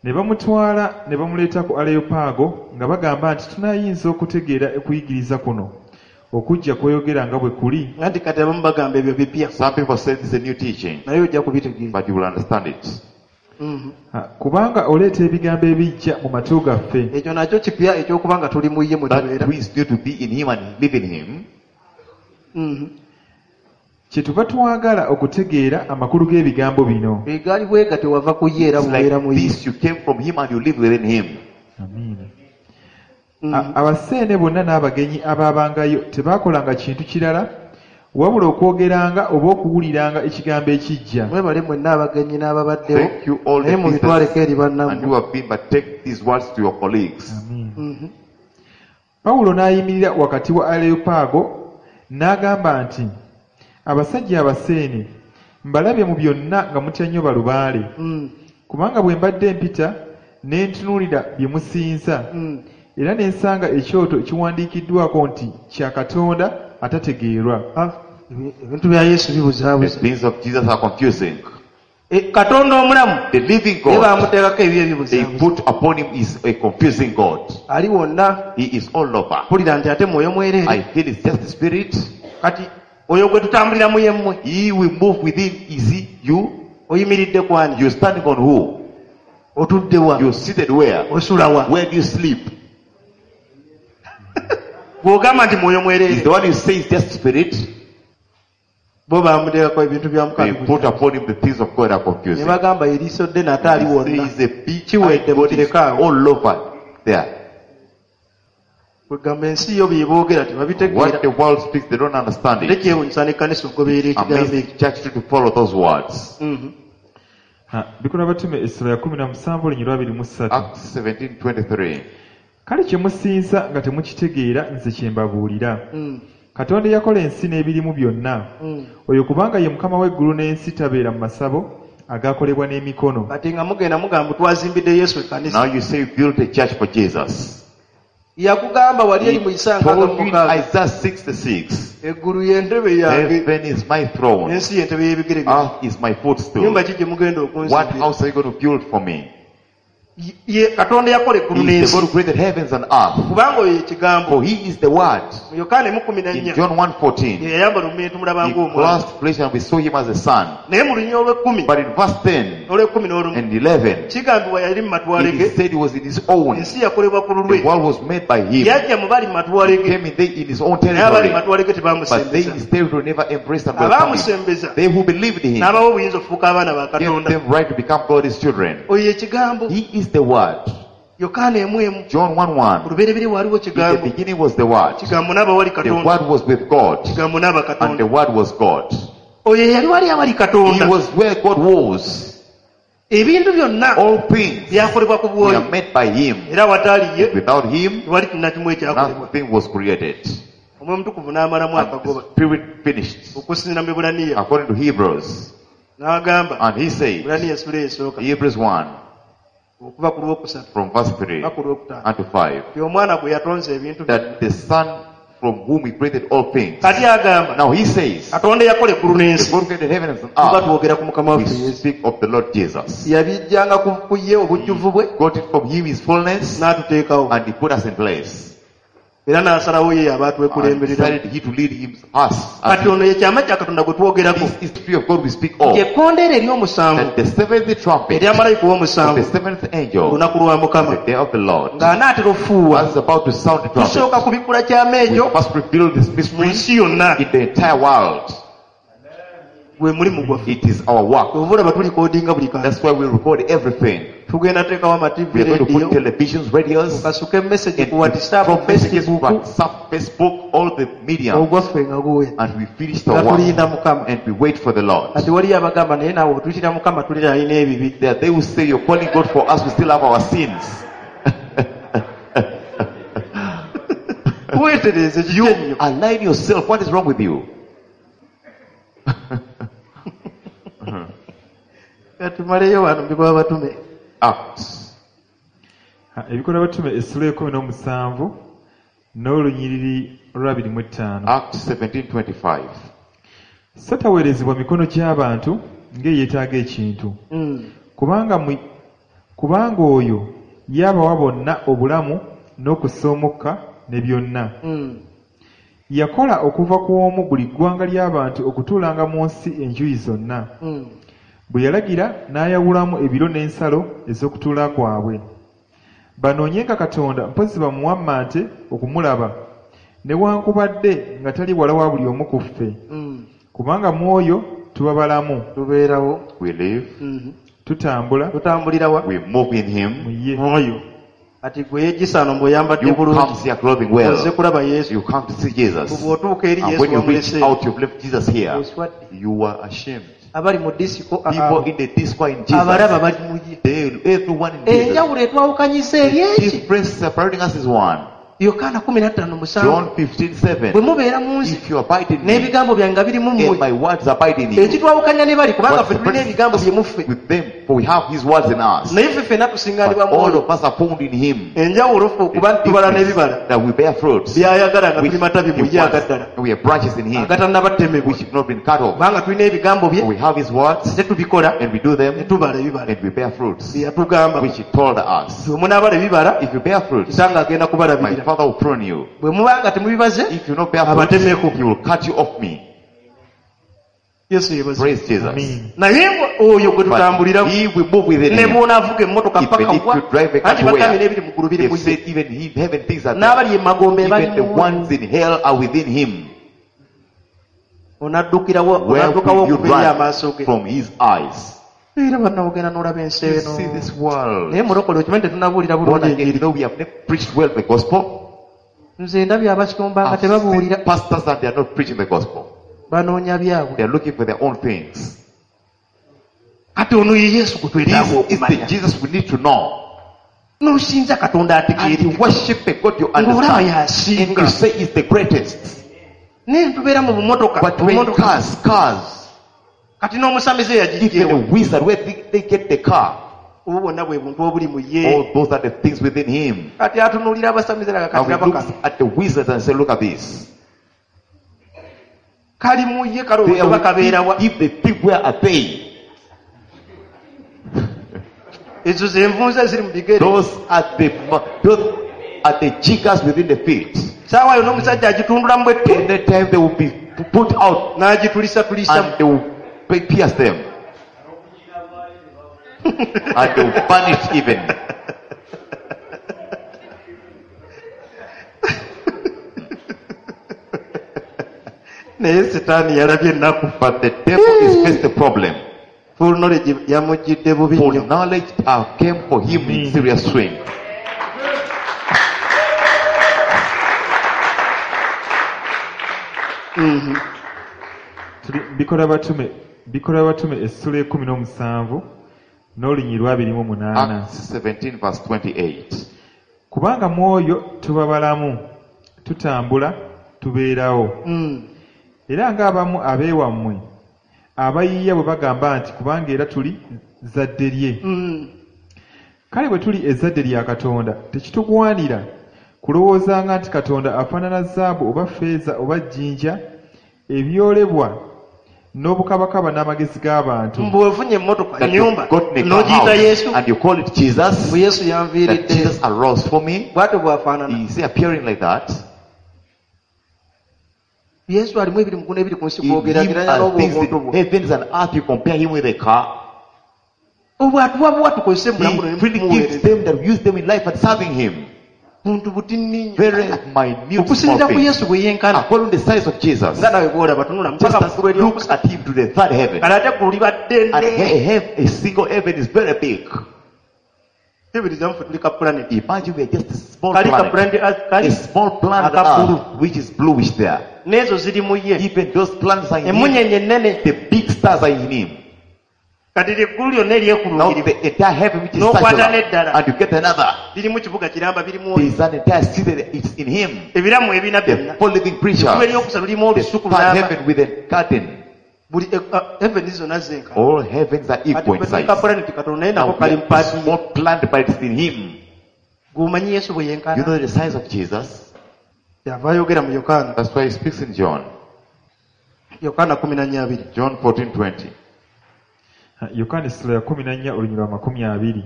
Ne bamutwala ne bamuleeta ku Aleyopaago nga bagamba nti tunaayinza okutegeera okuyigiriza kuno okujja kweyogera nga bwe kuli. Anti kati abamu bagamba ebyo bipya Some people say this is a new teaching, naye ojja kubitegeera. but you will understand it. Mhm. Ah, kubanga oleeta ebigambo ebijja mu matu gaffe. Ekyo nakyo kipya ekyokuba nga tuli mu ye mwe That tubeera. who is new to be in him and live in him, Mhm. Kyetuva twagala okutegeera amakulu g'ebigambo bino. Egaali bwega tewava ku ye era it's bubeera like mu ye. this, you came from him and you live within him. Amiina. Mhm. A- Abaseene bonna n'abagenyi abaabangayo tebaakolanga kintu kirala wabula okwogeranga oba okuwuliranga ekigambo ekijja. Mwebale mwenna abagenyi n'ababaddewo Thank you all naye the mubitwaleko eri visitors and bannammwe. you have been, but take these words to your colleagues. Amiina. Mhm. Pawulo n'ayimirira wakati wa Aleyopaago n'agamba nti abasajja abaseene mbalabye mu byonna nga mutya nnyo balubaale Mm. kubanga bwe mbadde mpita ne ntunuulira bye musinza Mm. era ne nsanga ekyoto ekiwandiikiddwako nti kya Katonda atategeerwa. Ah, ebi- ebintu bya Yesu The bibuzaabuza. things of Jesus are confusing. E, Katonda omulamu The living ye God bamuteekako ebyo they ebibuzaabuza. put upon him is a confusing God. Ali wonna He is all over. mpulira nti ate mwoyo I mwereere. feel it's just the spirit. Kati oyo gwe tutambuliramu ye mmwe He will move within. Is he you? oyimiridde kwani? You're standing on who? Otudde wa? You're seated where? Osula wa? Where do you sleep? Bw'ogamba nti mwoyo Is mwereere the one who says just spirit? bo bamuteekako ebintu bya They Mukama. put upon him the things of God are Ne confusing. bagamba eriiso ddene ate ali He wonna. says a big Kiwedde God is mukireke awo. all over there. Kwegamba ensi yo bye boogera What tebabitegeera. the world speaks, they don't understand Ate it. kyewuunyisa n'ekkanisa okugoberera ekigambo Amazing ekyo. church to follow those words. Mhm. Ha, bikolwa batume essula ya kumi na musanvu olunyiriri lwa abiri mu ssatu Acts seventeen twenty-three. Kale kye musinza nga temukitegeera nze kye mbabuulira. Mm. Katonda eyakola ensi n'ebirimu byonna, Mm. oyo kubanga ye Mukama w'eggulu n'ensi tabeera mu masabo agakolebwa n'emikono. Kati nga mugenda mugamba twazimbidde Yesu ekkanisa. Now you say you built a church for Jesus. Yakugamba wali eri He mu Isaaya nkaaga told mu you in mukaaga. Isaiah sixty-six, Eggulu y'entebe yange, heaven is my throne, n'ensi y'entebe y'ebigere byange. earth is my footstool. Nnyumba ki gye mugenda What okunzimbira? house are you going to build for me? Ye- ye Katonda yakola eggulu He is n'ensi. the God who created heavens and earth. Kubanga oyo ye kigambo. For he is the Word. Mu Yokaana emu kkumi na In nnya, John one fourteen, ye yayambala omubiri tumulaba he ng'omwana. clothed flesh and we saw him as a son. Naye mu lunyiriri olw'ekkumi, But in verse ten n'olw'ekkumi n'olumu, and eleven, kigambibwa yali mu matwale it ge, is said he was in his own. ensi yakolebwa ku The lulwe. world was made by him. Yajja mu bali mu matwale He ge, came in, they, in his own naye abali mu territory. matwale ge But they in tebamusembeza. his territory never embraced and welcomed him. Abaamusembeza They who believed in him n'abawa obuyinza okufuuka abaana ba gave Katonda. them right to become God's children. Oyo ye kigambo. He is the Word. Yokaana emu emu. John one one. Ku lubereberye waaliwo In the kigambo. beginning was the Word. Kigambo n'aba wali The Katonda. Word was with God. Kigambo n'aba And Katonda. the Word was God. Oyo yali wali awali He Katonda. was where God was. Ebintu byonna All things byakolebwa ku were bw'oyo. made by him. Era wataali ye, Without him, tewali kintu na kimu ekyakolebwa. nothing was created. Omwoyo Omutukuvu n'amalamu And the akagoba. Spirit finished. Okusinziira mu Ebbulaniya. According to Hebrews. N'agamba, And he said, Ebbulaniya essula esooka, Hebrews one, okuva ku lwokusatu from verse three paka ku lwokutaano. and to five, Nti omwana gwe yatonza ebintu byonna. that the Son from whom he created all things. Kati agamba, Now he says, Katonda eyakola eggulu the n'ensi. God who created heaven and Tuba earth, twogera ku Mukama we waffe Yesu. speak of the Lord Jesus. Yabijjanga ku ku ye obujjuvu bwe Got it from him, his fullness, n'atuteekawo. and he put us in place. Era n'asalawo ye aba And atwekulemberera. decided he to lead him, us. Kati ono ye kyama kya Katonda gwe twogerako. This is the tree of God we speak of. Nti ekkondeere ery'omusanvu That the seventh trumpet erya malayika of the ow'omusanvu seventh angel, olunaku lwa Mukama the day of the Lord, ng'anaatera ofuuwa as is about to sound the tusooka trumpet, kubikkula kyama we ekyo must reveal this mu mystery nsi yonna in the entire world. gwe mulimu gwaffe. It is our work. Oba olaba tulikodinga buli kantu. That's why we record everything. Tugenda teekawo ama-T V We are going to radio put televisions, radios, okasuka emessage and ku WhatsApp, from messages, Facebook WhatsApp, Facebook, all the media, ogwaffe nga guwera and we finish nga the work tulinda Mukama. and we wait for the Lord. Kati waliyo abagamba naye naawe otuyitira Mukama tulira alina ebibi. There, they will say, "You're calling God for us. We still have our sins." Weetereeze kiki You ennyo. align yourself. What is wrong with you? Kati tumaleyo wano mu bikolwa batume. Acts Ha, ebikolwa batume essula ekkumi n'omusanvu n'olunyiriri olw'abiri mu ettaano. Acts seventeen twenty-five. So taweerezebwa mikono gy'abantu ng'eyeetaaga ekintu. Mm. Kubanga mu, kubanga oyo y'abawa bonna obulamu n'okussa omukka ne byonna. Mm. Yakola okuva ku omu buli ggwanga ly'abantu okutuulanga mu nsi enjuyi zonna. Mm. Bwe yalagira n'ayawulamu ebiro n'ensalo ez'okutuula kwabwe. Banoonyenga Katonda mpozzi bamuwammante okumulaba, newankubadde nga tali wala wa buli omu ku ffe. Mm. Kubanga mu oyo tuba balamu, Tubeerawo. We live, Mhm. tutambula Tutambulira wa? we move in mu Him. ye. Mwoyo. Kati gwe yeegisaano mbw'oyambadde You bulungi. come here clothing well. Ozze kulaba Yesu. You come to see Jesus. Bw'otuuka eri And Yesu when you reach wamulese. out, you've left Jesus here. Oswadde. You are ashamed. Abali mu disiko People in the disco in Jesus. abalaba bali mu ye. They, everyone in Jesus. Enjawulo etwawukanyisa eri The eki? difference separating us is one. Yokaana kumi na ttaano musanvu. John fifteen seven. Bwe mubeera mu nsi If you abide in me n'ebigambo byange nga biri mu and mmwe my words abide in you, ekitwawukanya ne bali kubanga what ffe tulina separates ebigambo us bye muffe with them, for we have his words in us. naye ffe ffenna But tusingaanibwa all mwoyo of us are found in him. enjawulo ffe The okuba tubala difference n'ebibala that we bear fruits, byayagala nga which tuli matabi mu he ye wants, agaddala and we are branches in him, agatannabatemebwa which have not been cut off. kubanga tulina ebigambo For bye we have his words, ate tubikola and we do ne them, tubala ebibala and we bear fruits, bye yatugamba which he told us. bwe munaabala ebibala If you bear fruits, kitange agenda my kubalabirira Father will prune you. bwe muba nga temubibaze If you not bear fruits, abatemeko he will cut you off me. Yesu yeebazibwe Praise Jesus. Amen. naye oyo gwe But tutambuliramu he will move within ne him. bw'onaavuga emmotoka Even paka if wa you drive a car anti to bagambye where, n'ebiri mu ggulu biri they've mu ye said even him, heaven things are there. n'abali emagombe bali Even the mu ones in hell are within him. onaddukirawo Where onaddukawo could you okuva eri run amaaso ge from his eyes? era banna ogenda n'olaba ensi You eno see this world. naye mulokole okimanyi tetunabuulira Born bulungi again, enjiri you know, we have never preached well the gospel. nze ndabye abasumba nga I've seen tebabuulira pastors and they are not preaching the gospel. banoonya byabwe They are looking for their own things. Kati ono ye Yesu gwe This twetaaga is the okumanya. Jesus we need to know. N'osinza Katonda And you ategeerekeka. worship a God you Ng'olaba understand. And y'asinga. you say is the greatest. Naye tubeera mu bumotoka. But when Obumotoka. cars, cars, Kati n'omusamize even yagijjeewo. a wizard, where they, they get the car, Obwo bwonna bwe buntu obuli mu ye. all those are the things within him. Kati atunuulira abasamize laga Now kati he laba looks kano. at the wizards and say, look at this. Kali mu ye They kalowooza are oba kabeera wa. with him. If they think, where are they? Ezo ze nvunza eziri mu bigere. Those are the those are the jiggers within the feet. Saawa yonna omusajja agitundulamu bwettu. Anytime they will be put out N'agitulisatulisa. and they will pierce them. And they will vanish even. Naye Sitaani yalabye ennaku. But the devil is faced the problem. Full knowledge yamugidde bubi For nnyo. knowledge uh, came for him in serious swing. Tuli Bikola Batume, Bikola Batume essula ekkumi n'omusanvu n'olunyiriri lw'abiri mu munaana. Acts seventeen verse twenty-eight. Kubanga mu oyo tuba balamu, tutambula, tubeerawo. Mm. Era ng'abamu ab'ewammwe abayiiya bwe bagamba nti kubanga era tuli zzadde lye. Mm. Kale bwe tuli ezzadde lya Katonda tekitugwanira kulowoozanga nti Katonda afaanana zaabu oba ffeeza oba jjinja ebyolebwa n'obukabakaba n'amagezi g'abantu. Mbu ofunye emmotoka, That you've ennyumba, gotten a car n'ogiyita house Yesu. and you call it Jesus. Mbu Yesu That yanviiridde. Jesus arose for me. Bw'atyo bw'afaanana. Is he appearing like that? Yesu alimu ebiri mu ggulu n'ebiri ku nsi In him bw'ogeraageranya are n'obwo things obuntu in bwo. heavens and earth, you compare him with a car. Obwo atuwa buwa tukozese mu bulamu He buno freely gives ne tumuweereza. them that use them in life and serving him. Buntu butini nnyo. Very minute small Okusinziira ku things. Yesu bwe yenkana. According to the size of Jesus. Nga nawe bw'olaba tunula Just mpaka as mu ggulu look ery'okusatu. at him to the third heaven. Kale ate eggulu liba ddene. And he, he, a single heaven is very big. Teeberezaamu ffe tuli ka planet. Imagine we are just a small Kali ka planet. planet Earth kali. A small planet Aka blue. Earth, which is bluish there. N'ezo ziri mu ye. Even those planets are in him. Emmunyeenye ennene. The big stars are in him. Kati eggulu lyonna Now eryekulungirivu. the entire heaven which is N'okwata circular, n'eddala. and you get another. Lirimu kibuga kiramba birimu There is an entire city that is in him. ebiramu ebina The byonna. four living creatures. Eggulu eryokusatu lirimu The olusuku third lulamba. heaven with a garden. Buli eh, ah, heaven zonna zenkana. All heavens are Kati equal in ffe tuli ka size. planet katono naye nako Now kali we mu are a paati ye. small planet, but it's in him. Gw'omanyi Yesu bwe You yenkana. know the size of Jesus? Yava ayogera mu Yokaana. That's why he speaks in John. Yokaana kumi na nnya abiri. John fourteen twenty. Yokaana essula ya kkumi na nnya olunyiriri lwa makumi abiri.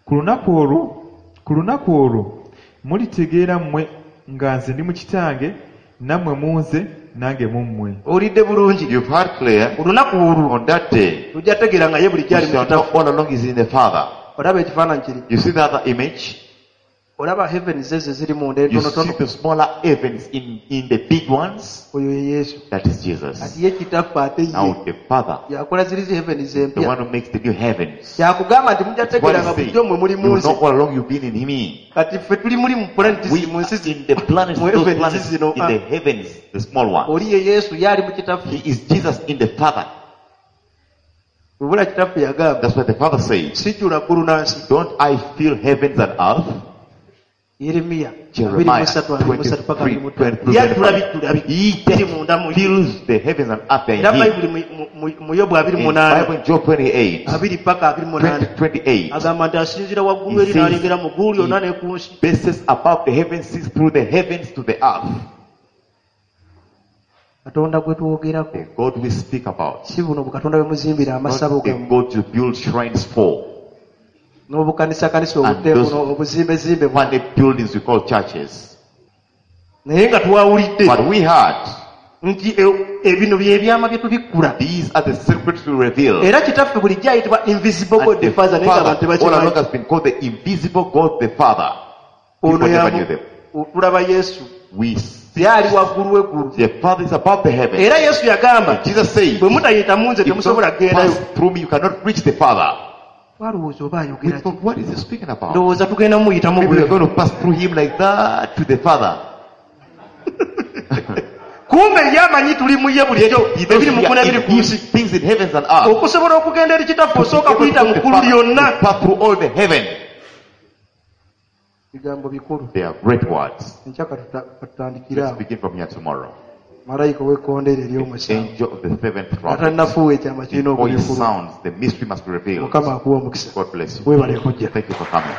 Ku lunaku olwo, ku lunaku olwo mulitegeera mmwe nga nze ndi mu Kitange, nammwe mu nze, nange mu mmwe. Owulidde bulungi. You've heard clear. Ku lunaku olwo On that day, tujja tegeera nga ye bulijjo you ali mu shall know Kitaffe. all along is in the Father. Olaba ekifaananyi kiri. You see the other image? Olaba heavens ezo eziri munda You entonotono. see the smaller heavens in, in the big ones? Oyo ye Yesu. That is Jesus. Kati ye Kitaffe ate ye Now the Father, yakola ziri zi heavens the empya. one who makes the new heavens. Yakugamba nti mujja What tegeera is nga saying? bulijjo mmwe muli mu You nsi. know all along you've been in him. Kati ffe tuli muli mu planet We zi- mu nsi are zi- in the planets, mu those heavens planets zino. in the heavens, the small ones. Oli ye Yesu ye ali mu Kitaffe. He is Jesus in the Father. Bwebula Kitaffe yagamba That's what the Father says. sijjula ggulu na nsi. Don't I fill heavens and earth? Yeremiya abiri mu Jeremiah ssatu abiri mu ssatu paka abiri mu ttaano. twenty-three, Yajjula twenty-three, bijjula He biri munda mu just ye. fills the heavens and earth Era in him. Bayibuli mu- mu- mu- mu Yobu abiri In munaana Bible in Job twenty-eight, abiri paka abiri munaana twenty, twenty-eight, agamba nti asinziira waggulu He eri says, n'alengera mu ggulu lyonna ne ku nsi. bases above the heavens, sees through the heavens to the earth. Katonda gwe twogerako The God we speak about, si buno bukatonda bwe muzimbira amasabo not the gammwe God you build shrines for, n'obukanisakanisa And obudde those buno obuzimbezimbe buno. funny buildings we call churches. Naye nga twawulidde But we heard nti e- ebino bye byama bye tubikkula. these are the secrets we reveal. Era Kitaffe bulijjo ayitibwa invisible God And the the Father naye Father ng'abantu all along tebakimanyi. has been called the invisible God the Father. Ono People never yamu- knew them. tulaba Yesu We see ye ali waggulu w'eggulu. the Father is above the heavens. Era Yesu yagamba And Jesus said, bwe mutayita mu nze if you temusobola don't kugendayo. pass through me, you cannot reach the Father. Twalowooza oba We ayogera ki? thought, what is he speaking about? Ndowooza tugenda muyitamu Maybe we are bwe. going to pass through him like that to the Father. Kumbe ye amanyi tuli mu ye bulijjo He knows ebiri mu we ggulu are ebiri in ku him, nsi. things in heavens and earth. Okusobola okugenda eri kitaffe osooka kuyita mu ggulu lyonna. To pass through all the heaven. Bigambo bikulu. They are great words. Enkya katuta- katutandikire Let's awo. begin from here tomorrow. Malayika ow'ekkondeere The ery'omusanvu angel of the seventh nga trumpet. tannafuuwa ekyama kirina Before he okubikulwa. sounds, the mystery must be revealed. Mukama akuwa omukisa. God bless you. Weebale kujja. Thank you for coming.